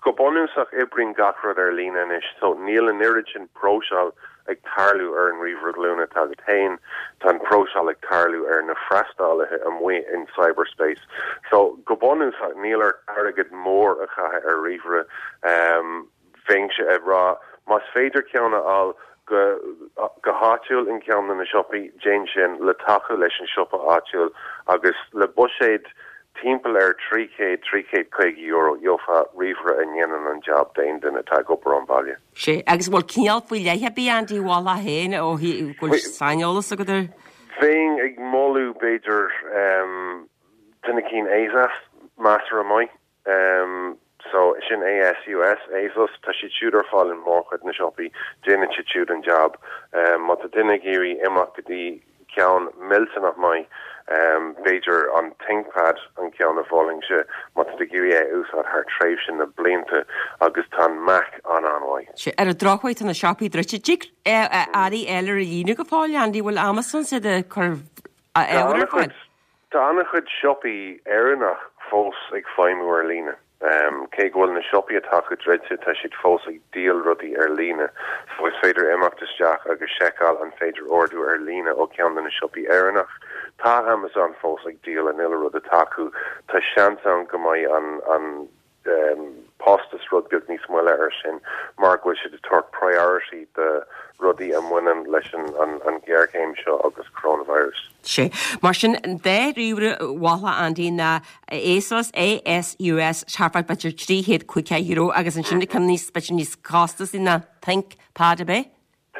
go bunúsach oibríonn gach rud ar líne anois so níl an oiread sin próiseáil ag tarlú ar an ríomhaire glúine atá agat féin, tá an próiseáil ag tarlú ar na freastalaithe amuigh in cyberspace. So go bunúsach níl ort airgead mór a chaitheamh ar ríomhaire. Bheinnse ag rá más féidir ceann a fháil go go háitiúil in ceann de na siopaí, déan sin le tacú leis an siopa áitiúil agus le buiséad timpeall ar €300, €350 gheofá ríomhaire a ndéanann an jab d'aon duine atá ag obair ón bhaile. Sea, agus an bhfuil cineál faoi leith ar bith, Andy, a mholfá féin ó thaobh go bhfuil saineolas agat air? Bheinn ag moladh b'fhéidir tá na cinn Asus measartha maith. So, sin ASUS, Asus, tá siad siúd ar fáil in mórchuid na siopaí, déanann siad siúd an jab. Má tá duine ag iarraidh imeacht go dtí ceann millteanach maith, b'fhéidir an ThinkPad an ceann a mholfainnse má tá tú ag iarraidh é a úsáid thar tréimhse na blianta agus tá an Mac an-an-mhaith. Sea, ar an drochuair tá na siopaí druidte. Dtig earraí a fháil ar líne go fóill, Andy, bhfuil Amazon siad ag cur ábhar ar fáil? Tá an-chuid siopaí Éireannach fós ag feidhmiú ar líne. Cé go bhfuil na siopaí atá acu druidte, tá siad fós ag díol rudaí ar líne. So is féidir imeacht isteach agus seiceáil an féidir ordú ar líne ó cheann de na siopaí Éireannach. Tá Amazon fós ag díol an uile rud atá acu. Tá seans ann go mbeidh an an postas rud beag níos moille air sin mar go bhfuil siad ag tabhairt priority do rudaí a mbaineann leis an ghéarchéim seo agus coronavirus. Sea. Mar sin, an dá ríomhaire a mholfá, Andy, ná Asus, ASUS, thart fá b'fhéidir €300, €500 agus ansin ceann níos, b'fhéidir níos costasaí ná ThinkPad, ab é?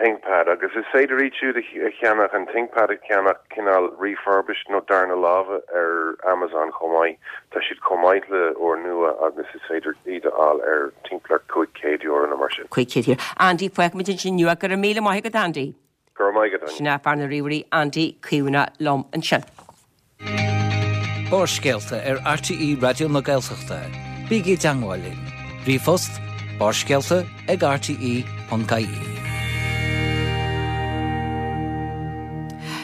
ThinkPad, agus is féidir iad siúd a cheannach, an ThinkPad a cheannach cineál refurbished nó darna láimhe ar Amazon chomh maith. Tá siad chomh maith le úrnua agus is féidir iad a fháil ar timpeall ar €500 nó mar sin. €500. Andy, fágfaimid ansin inniu é. Go raibh míle maith agat, Andy. Go raibh maith agat, Áine. Sin é fear na ríomhairí, Andy Caomhánach liom ansin. Barrscéalta ar RTÉ Raidió na Gaeltachta. Bígí i dteangmháil linn. Ríomhphost, barrscéalta ag rte.ie.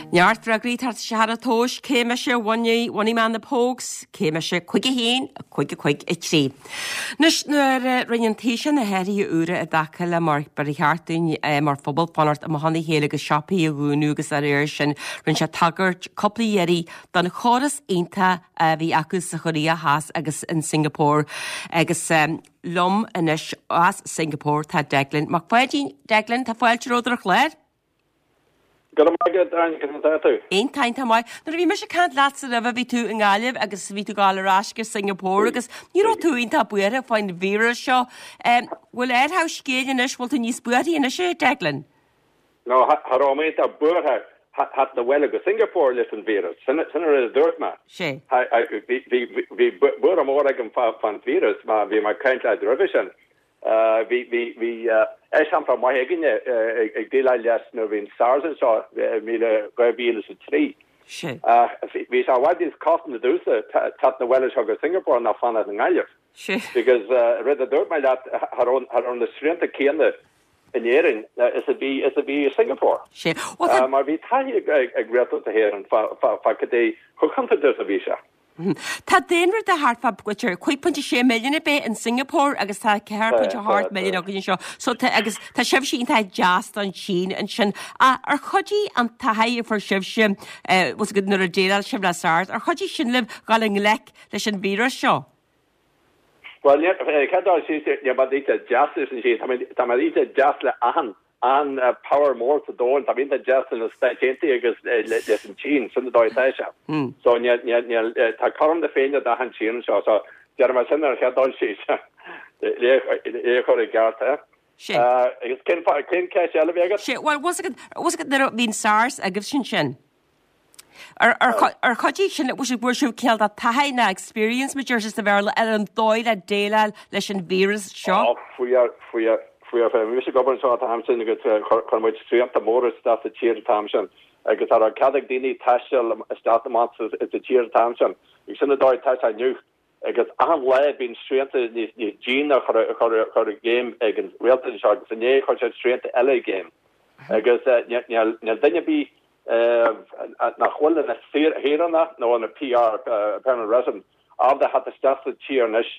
Neart freagraí ag teacht isteach ar an tomhas, cé mise a bhunaigh mé na Pogues? Cé mise? 5 1, 5 5 3. Anois, nuair a rinne an Taoiseach na hathruithe úra i dtaca le mar ba cheart dúinn mar phobal fanacht amach óna chéile agus siopaí a dhúnadh agus dá réir sin, rinne sé tagairt cúpla iarraidh don chóras iontach a bhí acu sa Chóiréa Theas agus in Singapore. Agus liom anois as Singapore tá Declan Mac Pháidín. Declan, tá fáilte romhat ar an chlár. Go raibh maith agat, Áine, conas atá tú? Iontach, iontach maith. Nuair a bhí mise ag caint leatsa roimhe bhí tú i nGaillimh agus bhí tú ag gabháil ar ais go Singapore agus ní raibh tú iontach buartha faoin víreas seo. Bhfuil athrú scéil anois, bhfuil tú níos buarthaí anois, a Declan? No, cha raibh mé iontach buartha theacht abhaile go Singapore leis an víreas. Sin an rud a dúirt mé. Sé. Bhí buartha mór agam fán víreas mar bhí mé ag caint leat roimhe sin. Bhí bhí eiseampla maith againne ag déileáil leis nuair a bhí an SARS anseo i 2003. Sea. Bhí sé i bhfad níos cosanta domhsa teacht abhaile anseo go Singapore ná fanacht i nGaillimh. Sea. Because rud a dúirt mé leat, cha raibh na srianta céanna in Éirinn is a bhí is a bhí i Singapore. Sea. Mar bhí taithí ag Rialtas na hÉireann fá cad é chomh contúirteach is a bhí sé. Tá daonra de thart fá b'fhéidir 5.6 milliún ab é in Singapore agus tá 4.8 milliún againn anseo. So tá agus tá sibhse iontach deas don tSín ansin. Ach ar chuidigh an taithí a fuair sibhse eh, bhfuil a fhios agat nuair a déileáil sibh le SARS, ar chuidigh sin libh dhul i ngleic leis an víreas seo? Bhuel, cén dul síos, níl mé iontach deas leis an Sín, tá mé iontach deas le achan an power mór sa domhan, tá mé iontach deas le na Stáit Aontaithe agus leis an tSín, sin an dóigh atá sé. So níl, níl, níl, tá cothrom na Féinne d'achan tír anseo, so déarfaidh mé sin ar an chéad dul síos, le é a chur i gceart, eh? Sin. Agus cén fáth, cén ceist eile a bhí agat? Sea, bhuel, bhfuil a fhios agat, bhfuil a fhios agat nuair a bhí an SARS agaibhse ansin? Ar chuidigh sin, bhfuair sibh cineál de taithí nó experience, mar a deir siad sa Bhéarla, ar an dóigh le déileáil leis an víreas seo? Ó, fuair, fuair, fuair. Bhí mise ag obair anseo an t-am sin agus chuir muid srianta móra isteach sa tír an t-am sin agus cha raibh cead ag daoine taisteal isteach amach sa tír an t-am sin. Agus sin an dóigh atá sé inniu. Agus achan lá bíonn srianta níos déine á chur i gcéim ag an rialtas anseo agus inné chuir siad srianta eile i gcéim. Agus níl duine ar bith nach bhfuil ina shaoránach nó ina PR, permanent resident, ábalta theacht isteach sa tír anois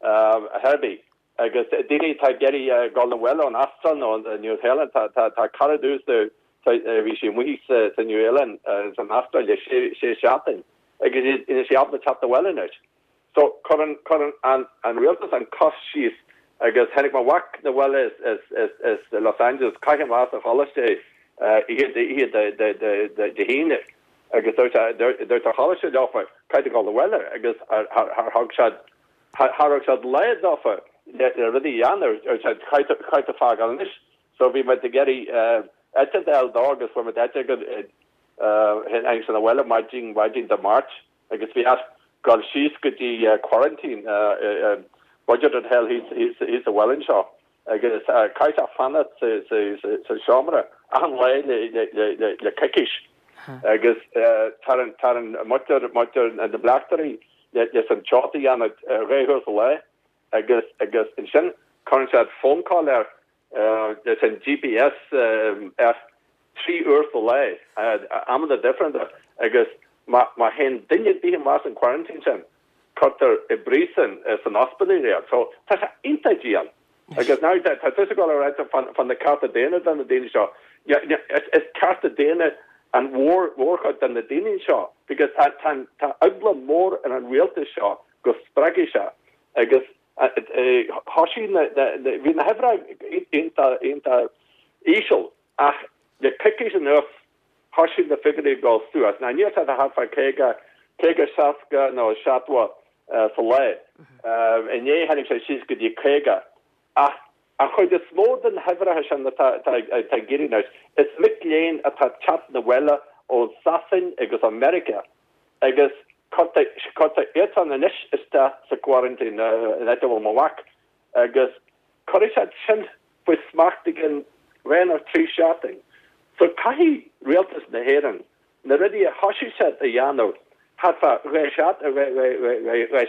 ar chor ar bith. Agus daoine atá ag iarraidh dul abhaile ón Astráil nó an Nua-Shéalainn, tá cara domhsa, bhí sí amuigh sa Nua-Shéalainn, san Astráil le sé seachtain agus níl sí ábalta teacht abhaile anois. So cuireann, cuireann an, an rialtas an cos síos agus tháinig mo mhac na bhaile as, as, as Los Angeles, chaith an lá sa choláiste oíche, oíche Dé hAoine agus dúirt, dúirt an choláiste leofa, caithfidh tú dul abhaile agus char thug siad, Char thug siad lá dófa le rudaí a dhéanamh, caithfidh tú fágáil anois. So bhí muid ag iarraidh eitilt a fháil dó agus fuair muid eitilt go tháinig sé 'na bhaile maidin maidin Dé Máirt agus bhí air dul síos go dtí quarantine budget hotel thíos thíos sa bhaile anseo agus caithfidh sé fanacht sa seomra achan lá le coicís agus tarann tarann muintir muintir na bleachtairí leis an teocht a dhéanamh dhá huair sa lá agus agus ansin cuireann siad phone call air leis an GPS air 3 uair sa lá, amanna difriúla agus má má théann duine ar bith amach as an quarantine sin cuirtear i bpríosún san ospidéal iad. So tá sé iontach dian. Agus now tá tusa ag dul a ráit fá na cearta daonna do na daoine seo. Is cearta daonna an mhórchuid de na daoine seo because tá tá eagla mór ar an rialtas seo go spreagfaidh sé agus thosaigh na bhí na huimhreacha iontach iontach íseal ach le coicís anuas thosaigh na figiúirí ag dul suas. Now níl siad thart fá 50, 50, 60 nó 70 sa lá. Inné tháinig sé síos go dtí 50. Ach an chuid is mó de na huimhreacha sin atá ag éirí anois, is mic léinn atá ag teacht 'na bhaile ó Sasain agus ó Meiriceá agus cuirtear iadsan anois isteach sa quarantine an áit a bhfuil mo mhac agus cuirfidh siad sin faoi smacht i gcionn dhá nó trí seachtain. So caithfidh rialtas na hÉireann na rudaí a thosaigh siad a dhéanamh thart fá dhá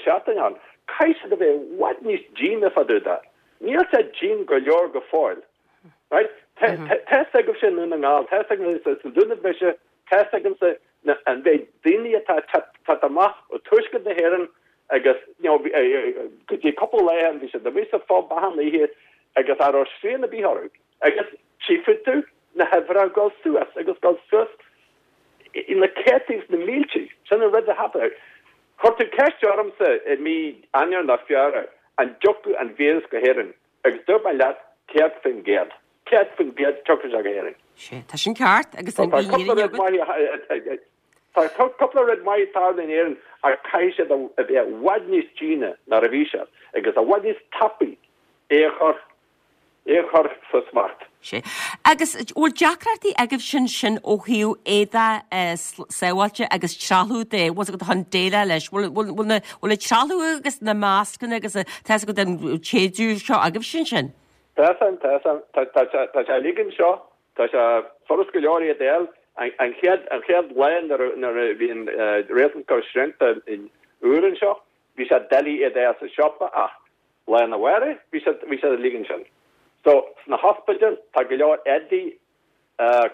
sheachtain ann, caithfidh siad a bheith i bhfad níos déine fá dtaobh de. Níl siad dian go leor go fóill. Right? Tá fhios agaibhse i nDún na nGall, tá fhios agamsa sa Dúnaibh mise, tá fhios agamsa an mhéid daoine atá ag teacht amach ó tuaisceart na hÉireann agus you know go dtí cúpla lá ó shin bhí siad amuigh sa phub achan oíche agus cha raibh srian ar bith orthu agus tchífidh tú na huimhreacha ag dul suas agus dul suas na céadtaí agus na míltí. Sin an rud a tharla. Chuir tú ceist ormsa i mí Eanáir nó Feabhra an dtiocfadh an víreas go hÉirinn agus dúirt mé leat 100%. 100% tiocfaidh sé go hÉirinn. Sea, tá sin ceart agus an Tá cúpla rud maith Tá cúpla rud maith ag tarlú in Éirinn ach caithfidh siad a bheith i bhfad níos déine ná a bhí siad agus i bhfad níos tapaí é a chur é a chur faoi smacht. Sea. Agus bhfuil deacrachtaí agaibhse ansin ó thaobh éadaí sábháilte agus trealamh de, bhfuil agat chun déileáil leis? Bhfuil bhfuil na bhfuil an trealamh agus na mascanna agus tá fhios agat an téidiú seo agaibhse ansin? Tá san, tá san, tá tá sé uilig anseo. Tá sé furast go leor iad a fháil. An chéad an chéad lá nuair a nuair a bhí an rialtas ag cur srianta úr anseo, bhí sé doiligh iad a fháil sa siopa ach Lá arna mhárach bhí siad bhí siad uilig ansin. So sna hospidéil tá go leor éadaí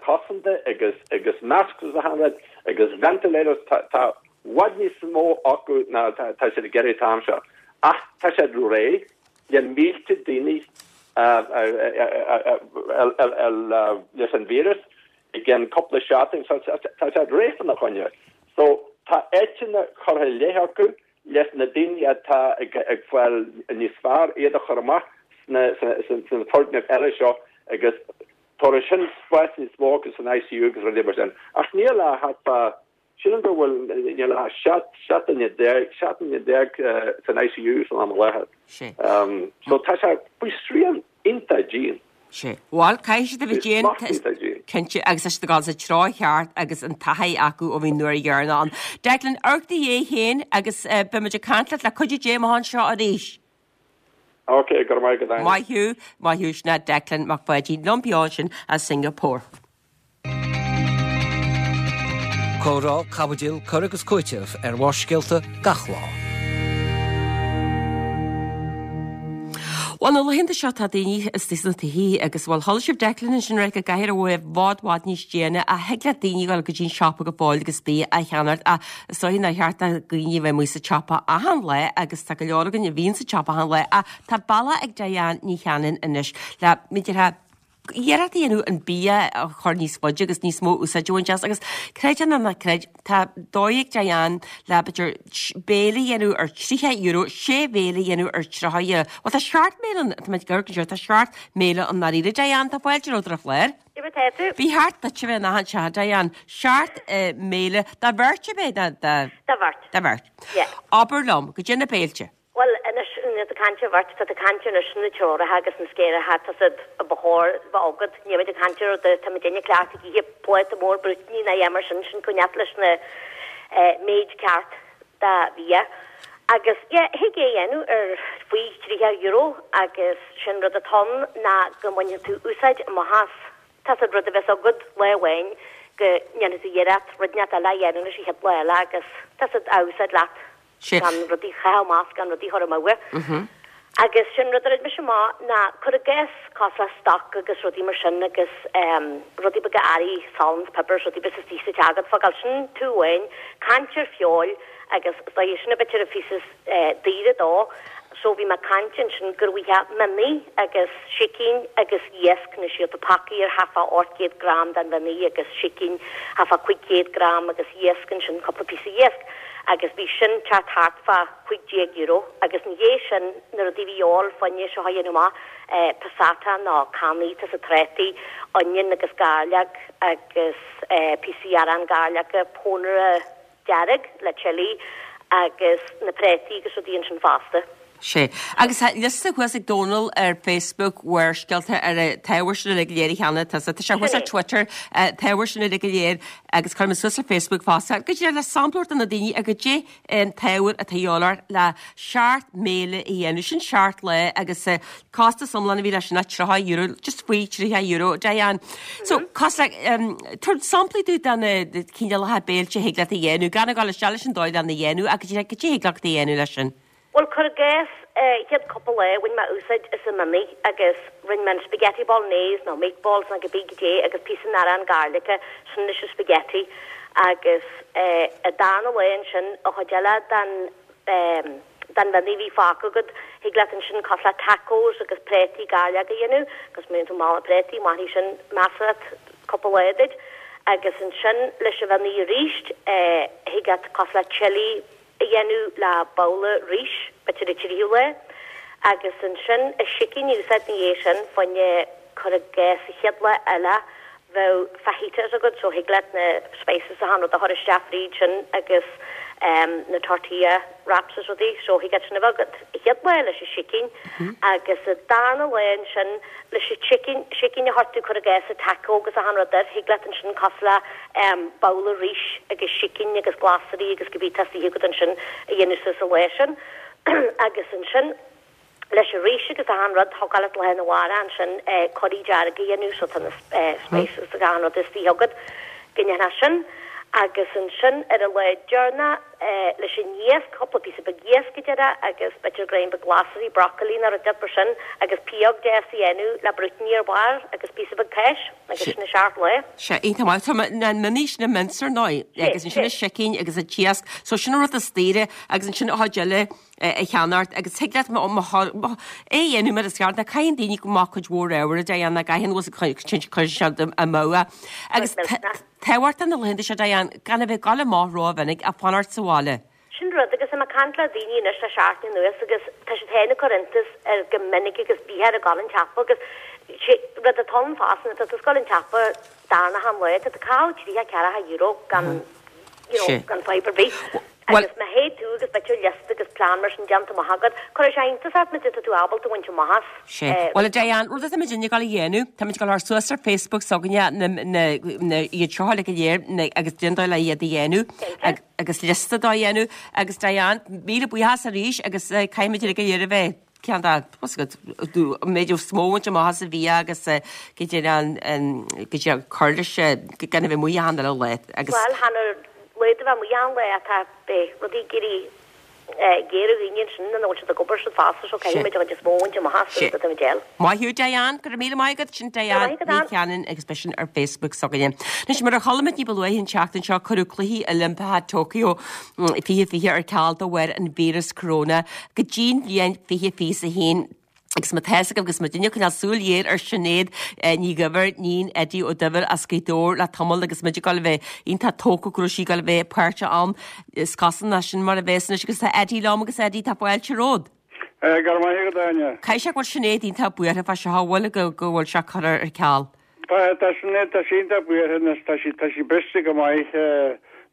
cosanta agus agus masks agus achan rud agus ventilators tá tá i bhfad níos mó acu ná tá tá siad ag iarraidh an t-am seo. Ach tá siad réidh le mílte daoine leis an víreas i gcionn cúpla seachtain so tá siad réidh fána choinne. So tá áiteanna curtha i leith acu leis na daoine atá ag fáil níos fearr, iad a chur amach sna foirgnimh eile seo agus tabharfaidh sin spás níos mó acu san ICU agus rudaí mar sin. Ach níl ach thart fá, sílim go bhfuil, níl ach 17 duine san ICU san am i láthair. So tá sé faoi srian iontach dian. Sea. Bhuel, caithfidh siad a bheith dian. Cinnte, agus tá siad ag dul sa treo cheart agus an taithí acu ó bhí an uair dheireanach ann. Declan, amharc do Dhia féin agus beidh muid ag caint leat le cuidiú Dé amach anseo arís. Ok, go raibh maith agat, Áine. Maith thú, maith thú, sin é Declan Mac Pháidín liom beo ansin as Singapore. Comhrá, caibidil, cur agus cúiteamh ar Bharrscéalta gach lá. Bhuel, na laethanta seo tá daoine istigh sna tithe agus, bhuel, chuala sibh Declan ansin ag ráit go gcaithfear a bheith i bhfad bhfad níos déine ach thig le daoine dul go dtí an siopa go fóill agus bia a cheannacht ach is dóigh nár cheart do dhaoine a bheith amuigh sa tsiopa achan lá agus tá go leor againn a bhíonn sa tsiopa achan lá ach tá bealach ag Diane Ní Chanainn anois le, b'fhéidir, iarracht a dhéanamh an bia a chur níos faide agus níos mó úsáid a bhaint as agus creid é nó ná creid, tá dóigh ag Diane le b'fhéidir béile a dhéanamh ar €30, sé bhéile a dhéanamh ar 30, bhuel tá seacht mbéile ann, tá mé ag amharc anseo, tá seacht mbéile i ndáiríre. Diane, tá fáilte romhat ar an chlár. Cad é mar tá tú? Ba cheart duit a bheith in achan teach, Diane. Seacht mbéile do bheirt ab é? Do bheirt. Do bheirt. Yeah. Abair liom, goidé na béilte. Bhuel, anois, nuair atá caint ar bheirt, tá tú ag caint anois na treoracha agus na scéaracha, tá siad a ba chóir bheith agat. Níl muid ag caint ar rud, tá muid ag cleachtadh ag ithe pláta mór brúitíní ná a dhath mar sin, sin coinneáil leis na méid ceart de bhia. Agus, yeah, thig é a dhéanamh ar faoi €30 agus sin rud atá ann ná go mbainfidh tú úsáid amach as. Tá siad rud a bheas agat lá amháin go ndéanfaidh tú iarracht rud inteacht eile a dhéanamh leis an chéad lá eile agus tá siad á úsáid leat. Gan rudaí a chaitheamh amach, gan rudaí a chur amú. Agus sin rud a rinne mise amach ná cuir i gcás cosúil le stoc agus rudaí mar sin agus rudaí beaga earraí, salann, piobar, rudaí beaga istigh sa teach agat, fágáil sin taobh amháin, caint ar feoil agus is dóigh sin a b'fhéidir an phíosa is daoire dó. So bhí mé ag caint ansin gur mhaith mionnaí agus sicín agus iasc na síolta pacaí ar thart fá 800 gram den mhionnaí agus sicín thart fá 500 gram agus iasc ansin cúpla píosa iasc agus bhí sin teacht thart fá €15 agus ina dhiaidh sin na rudaí a bhí a dhíobháil fá choinne seo a dhéanamh amach passata nó cannaí tá siad trátaí onion agus gairleog agus píosaí arán gairleoga pónaire dearg le chilli agus na préataí agus rudaí ansin fosta. Sea. Agus tá liosta thuas ag Dónal ar Facebook Bharrscéalta ar an t-ábhar sin uilig go léir cheana. Tá sé thuas ar Twitter, t-ábhar sin uilig go léir agus cuirfidh mé suas ar Facebook fosta. Goidé le sampla a thabhairt do na daoine ar goidé an t-ábhar atá a dhíobháil ort le seacht mbéile a dhéanamh. Sin seacht lá agus costas iomlán a bhí leis sin ná €30, just faoi €30, Diane. So, cosúil le, tabhair samplaí dúinn de na cineálacha béilte a thig leat a dhéanamh, gan a dhul isteach leis an dóigh lena dhéanamh ach goidé thig leat a dhéanamh leis sin. Bhuel, cuir i gcás, chéad cúpla lá bhain mé úsáid as an mionnaí agus rinne mé an spaghetti bolognese nó meatballs nó cibé goidé agus píosa den arán gairlice, sin leis an spaghetti agus an darna lá ansin an chuid eile den den mhionnaí a bhí fágtha agat, thig leat ansin cosúil le tacos agus préataí gairleog a dhéanamh agus má bhíonn tú mall le préataí, mairfidh sin measartha cúpla lá duit agus ansin leis an mhionnaí arís thig leat cosúil le chili a dhéanamh le babhla rís, b'fhéidir an tríú lá, agus ansin an sicín a úsáid ina dhiaidh sin, fá choinne cuir i gcás an chéad lá eile bheadh fajitas agat so thig leat na spices is achan rud a chur isteach fríd sin agus na tortilla wraps is rudaí so thig leat sin a bheith agat an chéad lá leis an sicín agus an darna lá ansin leis an tsicín, sicín a chuir tú cuir i gcás sa taco agus achan rud air, thig leat ansin cosúil le babhla rís agus sicín agus glasraí agus cibé atá istigh agat ansin a dhéanamh suas an lá sin agus ansin leis an rís agus achan rud thiocfadh leat lá arna mhárach ansin curry dearg a dhéanamh so tá na spices agus achan rud istigh agat go ndéanfá sin agus ansin ar an lá deireanach leis an iasc, cúpla píosa beag iasc a déarfá agus b'fhéidir greim beag glasraí, broccoli nó rud mar sin agus pióg deas a dhéanamh le brúitíní ar barr agus píosa beag cáis agus sin an seacht lá. Sea, iontach maith. Tá na mionnaí sin an mince ar ndóigh agus ansin an sicín agus an t-iasc. So sin an rud is daoire agus ansin an chuid eile a cheannacht agus thig leat é a dhéanamh mar is ceart. Ná caitheann daoine go maith cuid mhór ábhair a dhéanamh, gcaitheann cuireann siad amú é. Agus Tábhachtach na laethanta seo, Diane, gan a bheith ag dul amach rómhinic ach fanacht sa bhaile. Sin rud, agus tá mé ag caint le daoine anois le seachtain anuas agus tá siad féin ag cur iontas ar go minic agus bíthear ag dul an tsiopa agus sé rud atá ann fosta nuair atá tú ag dul an tsiopa darna achan lá, tá tú ag caitheamh tríocha ceathracha euro gan, you know, gan fadhb ar bith. Agus má théid tú agus b'fhéidir liosta agus plean mar sin déanta amach agat, cuirfidh sé iontas ort goidé tá tú ábalta a bhaint amach as. Sea. Bhuel, a Diane, rud atá muidinne ag dul a dhéanamh, tá muid ag dul a chur suas ar Facebook s'againne na, na, na, iad seo uilig go léir, na, agus cén dóigh le iad a dhéanamh, ag, agus liosta dá dhéanamh. Agus Diane, míle buíochas arís agus eh, caithfimid uilig go léir a bheith ceann dá, what's it, do, an méid is mó a bhaint amach as an bhia agus eh, go dtí an, an, go dtí an cur leis eh, gan a bheith amuigh achan uile lá agus. Bhuel, chan ar lá do bheith amuigh achan lá atá, beidh rudaí ag éirí géar ar dhaoine ansin ina bhfuil siad ag obair siad fosta so caithfidh muid an chuid is mó a bhaint amach as an rud atá muid fháil. Maith thú Diane, go raibh míle maith agat, sin Diane Ní Chanainn agus beidh sin ar Facebook s'againne. Anois mar a chuala muid ní ba luaithe an tseachtain seo cuireadh Cluichí Oilimpeacha Tokyo 2020 ar ceal de bharr an víreas corona go dtí'n bhliain 2021. Agus má tá fhios agaibh agus muidinne ag coinneáil súil ghéar ar Sinéad Ní Dhuibhir, níon Eddie Ó Duibhir as Gaoth Dobhair le tamall agus muid ag dul a bheith iontach tógtha go raibh sí ag dul a bheith páirteach ann. Is cosúil nach sin mar a bheas anois agus tá Eddie liom agus Eddie tá fáilte romhat. Go raibh maith agat, Áine. Caithfidh sé go bhfuil Sinéad iontach buartha fá seo, an bhfuil, go go bhfuil sé curtha ar ceal. Tá, tá Sinéad, tá sí iontach buartha anois, tá sí, tá sí briste go maith,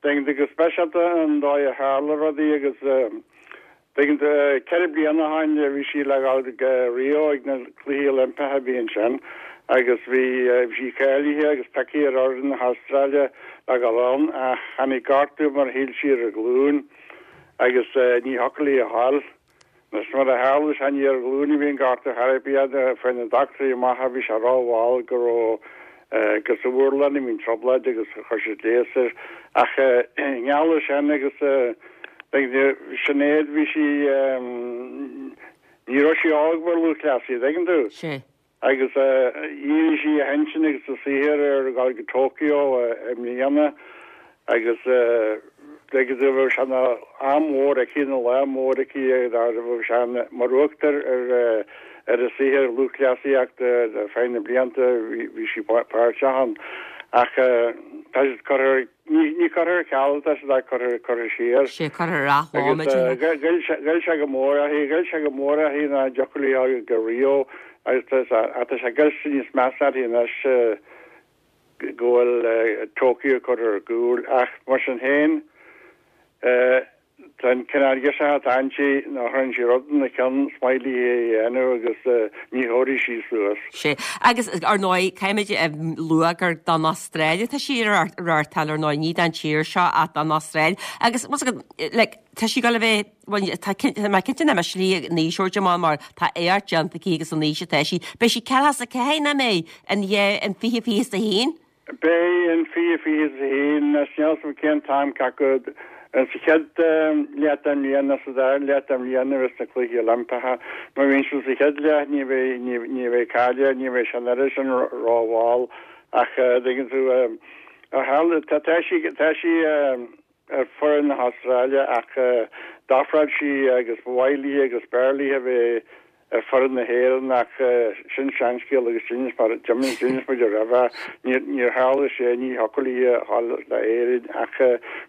tuigeann tú, go speisialta an dóigh a tharla rudaí agus, Tuigeann tú, 4 bliana ó shin bhí sí le dhul go Rio ag na Cluichí Oilimpeacha a bhí ansin agus bhí sí cáilithe agus pioctha ar fhoireann na hAstráile le dhul ann ach tháinig gortú mar a shíl sí ar a glúin agus ní thiocfadh léi a ghabháil. Anois mar a tharla sé ní ar a glúin a bhí an gortú chor ar bith, fuair na dochtúirí amach bhí sé rómhall go raibh gur sa mhurlán a bhí an trioblóid agus chuir siad leigheas air. Ach i ngeall air sin agus Sinéad bhí sí, ní raibh sí óg mar lúthchleasaí, an dtuigeann tú? Sea. Agus dhírigh sí a hintinn agus a saothar ar dhul go Tokyo i mbliana agus tuigeann tú bheadh sé ina am mór aici, ina lá mór aici, bheadh sé mar uachtar ar ar a saothar lúthchleasaíochta ar feadh na blianta bhí sí páirteach ann. Ach tá siad curtha, ní curtha ar ceal atá siad ach curtha, curtha siar. Sea, curtha ar athlá, Agus ghoill sé go mór uirthi, ghoill sé go mór uirthi nach dtiocfadh léi a ghabháil go Rio agus tá sé goillte níos measa uirthi anois. go bhfuil Tokyo curtha ar gcúl ach mar sin féin tá an cineál girseach atá inti ná chuireann sí rud ina ceann is maith léi é a dhéanamh agus ní thabharfaidh sí suas. Sea, agus ar ndóigh caithfimid a lua gur don Astráil atá sí ag reáchtáil ar ndóigh, ní don tír seo ach don Astráil agus like tá sí ag dul a bheith Bhuel, tá mé cinnte nach mbeidh sí in aois úr mar mar tá éacht déanta aici agus an aois atá sí. Beidh sí 44, nach mbeidh, in in 2021? Beidh in 2021, níl a fhios agam cén t-am cé acu sa chéad leath den bhliain nó sa dara leath den bhliain a bheas na Cluichí Oilimpeacha. Má bhíonn siad sa chéad leath ní bheidh ní bheidh caill air, ní bheidh sé an oiread sin rómhall ach tuigeann tú, tá sí tá sí ar foireann na hAstráile ach d'ofráil sí agus ba mhaith léi agus b'fhearr léi a bheith ar foireann na hÉireann ach sin seanscéal agus d'inis d'inis muid roimhe níor tharla sé ní thiocfadh léi a dhul le hÉirinn ach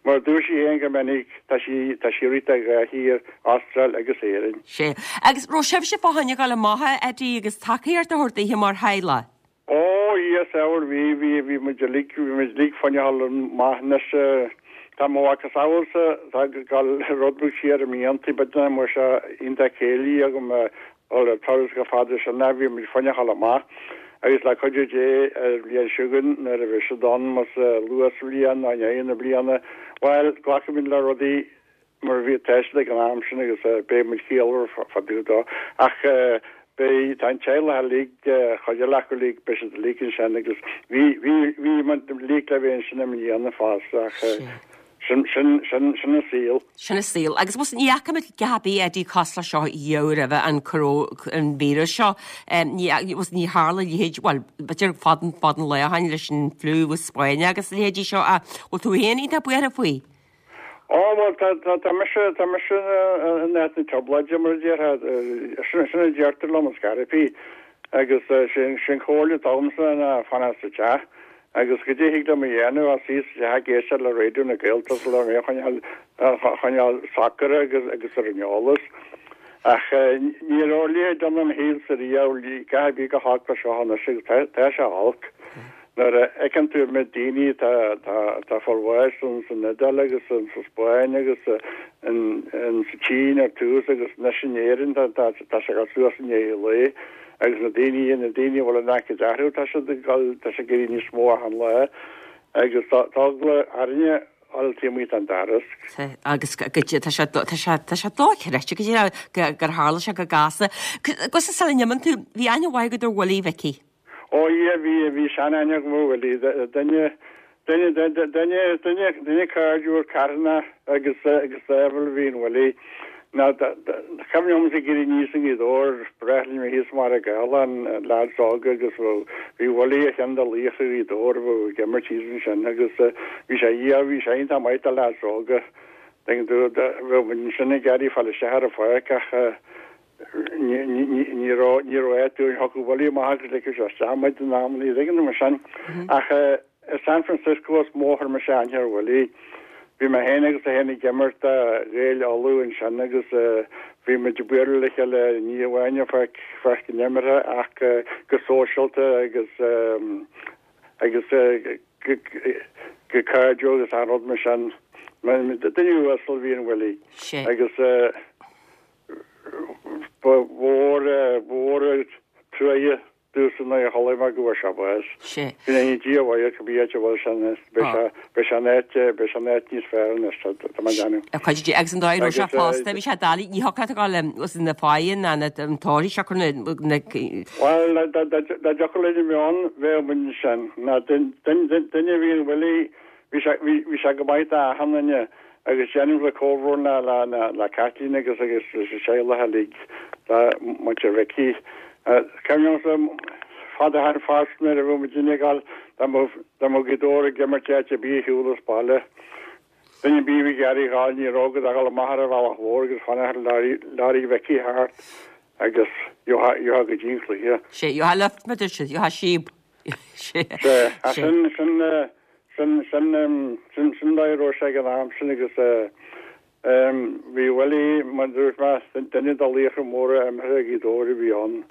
mar a dúirt sí féin go minic tá sí tá sí ag rith do dhá thír, Astráil agus Éirinn. Sea. Agus raibh sibhse fá choinne dhul amach a Eddie agus tacaíocht a thabhairt daoithe mar theaghlach? Ó, Dhia 's ábhar, bhí, bhí, bhí muid uilig, bhí muid uilig fá choinne a dhul amach anois, tá mo mhacasamhailsa, tá ag dul rud beag siar i mblianta, b'fhéidir nach mbeadh sé iontach céillí agam a dhul ar turas chomh fada sin ach bhí muid fá choinne a dhul amach agus le cuidiú Dé ar an bhliain seo chugainn nuair a bheidh siad ann, más luath sa bhliain nó i ndeireadh na bliana, bhuel, glacfaimid le rudaí mar a bhí tá siad ag an am sin agus beidh muid ciallmhar fá dtaobh dó. Ach beidh, tá an teaghlach uilig, chuid eile acu uilig, beidh siad uilig ansin agus bhí, bhí, bhí muid uilig le bheith ansin i mbliana fosta ach sin, sin, sin, sin an saol. Sin an saol. Agus bhuel ní fhaca muid a dhath ar bith Eddie cosúil leis seo riamh roimhe an coró, an víreas seo. Ní, bhuel ní tharla a leithéid, bhuel b'fhéidir fada, fada an lá ó shin leis an fliú Spáinneach agus a leithéidí seo ach bhfuil tú féin iontach buartha faoi? Ó, bhuel, tá, tá, tá mise, tá mise in áit na trioblóide, mar a déarfá. Sin, sin a deirtear liom is scaití. Agus sin, sin comhairle atá agamsa ná fanacht sa teach. Agus goidé thig liom a dhéanamh ach suí sa teach ag éisteacht le Raidió na Gaeltachta le mé a choinneáil, a choinneáil socair agus, agus ar an eolas. Ach ní raibh a leithéid ann im shaolsa riamh, a dhath ar bith chomh holc le seo anois agus tá, tá sé olc. Nuair a fheiceann tú an méid daoine atá atá ag fáil bháis san Iodáil agus sa Spáinn agus sa tSín ar tús agus anois in Éirinn tá tá sé ag dul suas i ndiaidh an lae agus na daoine na daoine a bhfuil an aicíd orthu tá siad ag dul tá sé ag éirí níos mó achan lá agus tá tá eagla orainne a dhul taobh amuigh den doras. Agus tá sé tá sé tá sé dochreidte go dtí gur tharla sé chomh gasta. Agus sula n-imíonn tú, bhí aithne mhaith agat ar Willie Mhicí. Ó yeah, bhí, bhí sean-aithne agam ar Willie, duine, duine, duine, duine, duine cairdiúil, carthanach agus, agus sámh a bhí in Willie. Now, cuimhin liomsa ag éirí aníos i nGaoth Dobhair, ba ghnách linn a bheith thíos i mBarra Gála, na leaids óga agus bheadh, bhí Willie ar cheann de laochra Ghaoth Dobhair a bheadh ag imirt thíos ansin agus bhí sé, yeah, bhí sé iontach maith do leaids óga. Tuigeann tú, bheadh muid ansin ag iarraidh fáil isteach ar an pháirc ach, Ní raibh ní raibh áit dúinn, thiocfadh Willie amach agus ligfeadh sé isteach muid in amannaí, tuigeann tú mar sin. Ach i San Francisco is mó a chuir mise aithne ar Willie. Bhí mé féin agus é féin ag imirt do Ghaeil Uladh ansin agus bhí muid ag bualadh le chéile ní amháin ar pháirc pháirc an imeartha ach go sóisialta agus agus go cairdiúil agus achan rud mar sin. Duine uasal a bhí in Willie agus Ba mhór, ba mhór an truaighe domhsa nuair a chuala mé go bhfuair sé bás. Sea. Go ndéana Dia a mhaith air cibé áit a bhfuil sé anois, beidh sé, beidh sé in áit, beidh sé in áit níos fearr anois, tá, tá mé ag déanamh. Ar chuid de, agus an dóigh a raibh sé fosta, bhí sé doiligh, ní thiocfadh leat a ghabháil le, na fáidhe ná na, an tóraí seo na, na. Bhuel, dá, dá, dá dtiocfadh linn a bheith ann, bheadh muid ansin. Ná duine a bhí in Willie, bhí sé, bhí, bhí sé go maith d'achan duine. Agus déanaim le comhbhrón le le le Caitlín agus agus leis an teaghlach uilig, le muintir Mhicí. Cuimhin liomsa fada ó shin fosta nuair a bhí muidinne ag dul dá mbeadh dá mbeadh Gaoth Dobhair ag imirt áit ar bith ar shiúl as baile. Duine ar bith a bhí ag iarraidh a ghabháil ní raibh ach a dhul amach ar an bhealach mhór agus fanacht ar leoraí Mhicí thart agus gheofá gheofá go dtí an cluiche. Sé, gheofá lift mar dúirt siad, gheofá síob. Sé, sin sin sin sin sin sin dóigh a raibh sé ag an am sin agus bhí Willie, mar a dúirt mé, duine de laochra móra imeartha Ghaoth Dobhair a bhí ann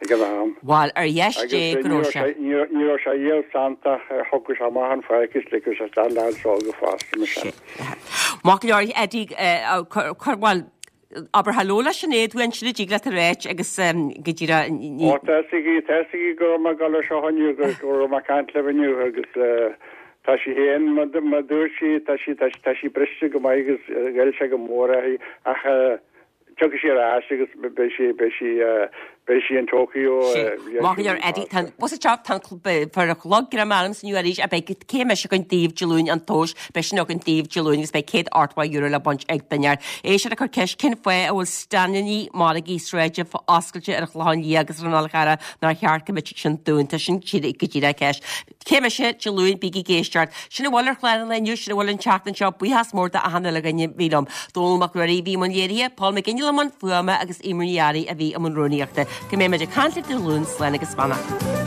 ag an am. Bhuel, ar dheis Dé go raibh sé. Agus ní raibh sé riamh santach, thiocfadh sé amach an pháirc is ligfeadh sé isteach leaids óga fosta mar sin. Maith go leor, Eddie, cuir, bhuel, Abair hello le Sinéad uainn, sin a dtig leat a ráit agus go díreach ní. Ó tá 'fhios aici, tá 'fhios aici go raibh mé ag dul ar seo inniu, go raibh mé ag caint libh inniu agus tá sí féin, mar a dúirt sí, tá sí, tá sí briste go maith agus ghoill sé go mór uirthi ach tiocfaidh sí ar ais agus beidh sí, beidh sí, Beidh sí in Tokyo. Maith go leor Eddie, tá bus ag teacht, tá fear an chlog greim ormsa inniu arís ach beidh cé mise againn daoibh Dé Luain an tomhas, beidh sin againn daoibh Dé Luain agus beidh €180 le baint ag duine air. Éisteoir ag cur ceist cén fáth a bhfuil staineanna margaí sráide oscailte ar an Chlochán Liath agus ar an Fhál Carrach nár cheart go mbeadh sin dúnta, sin go díreach ceist. Cé mise, Dé Luain, bígí ag éisteacht. Sin a bhfuil ar chlár an lae inniu, sin a bhfuil an tseachtain seo. Buíochas mór d'achan uile dhuine a bhí liom. Dónall Mac Ruairí a bhí i mbun léirithe, Paul McGinley i mbun fuaime agus Eimear Ní Fhearraigh a bhí i mbun rúnaíochta. Go mbeidh muid ag caint libh Dé Luain, slán agus beannacht.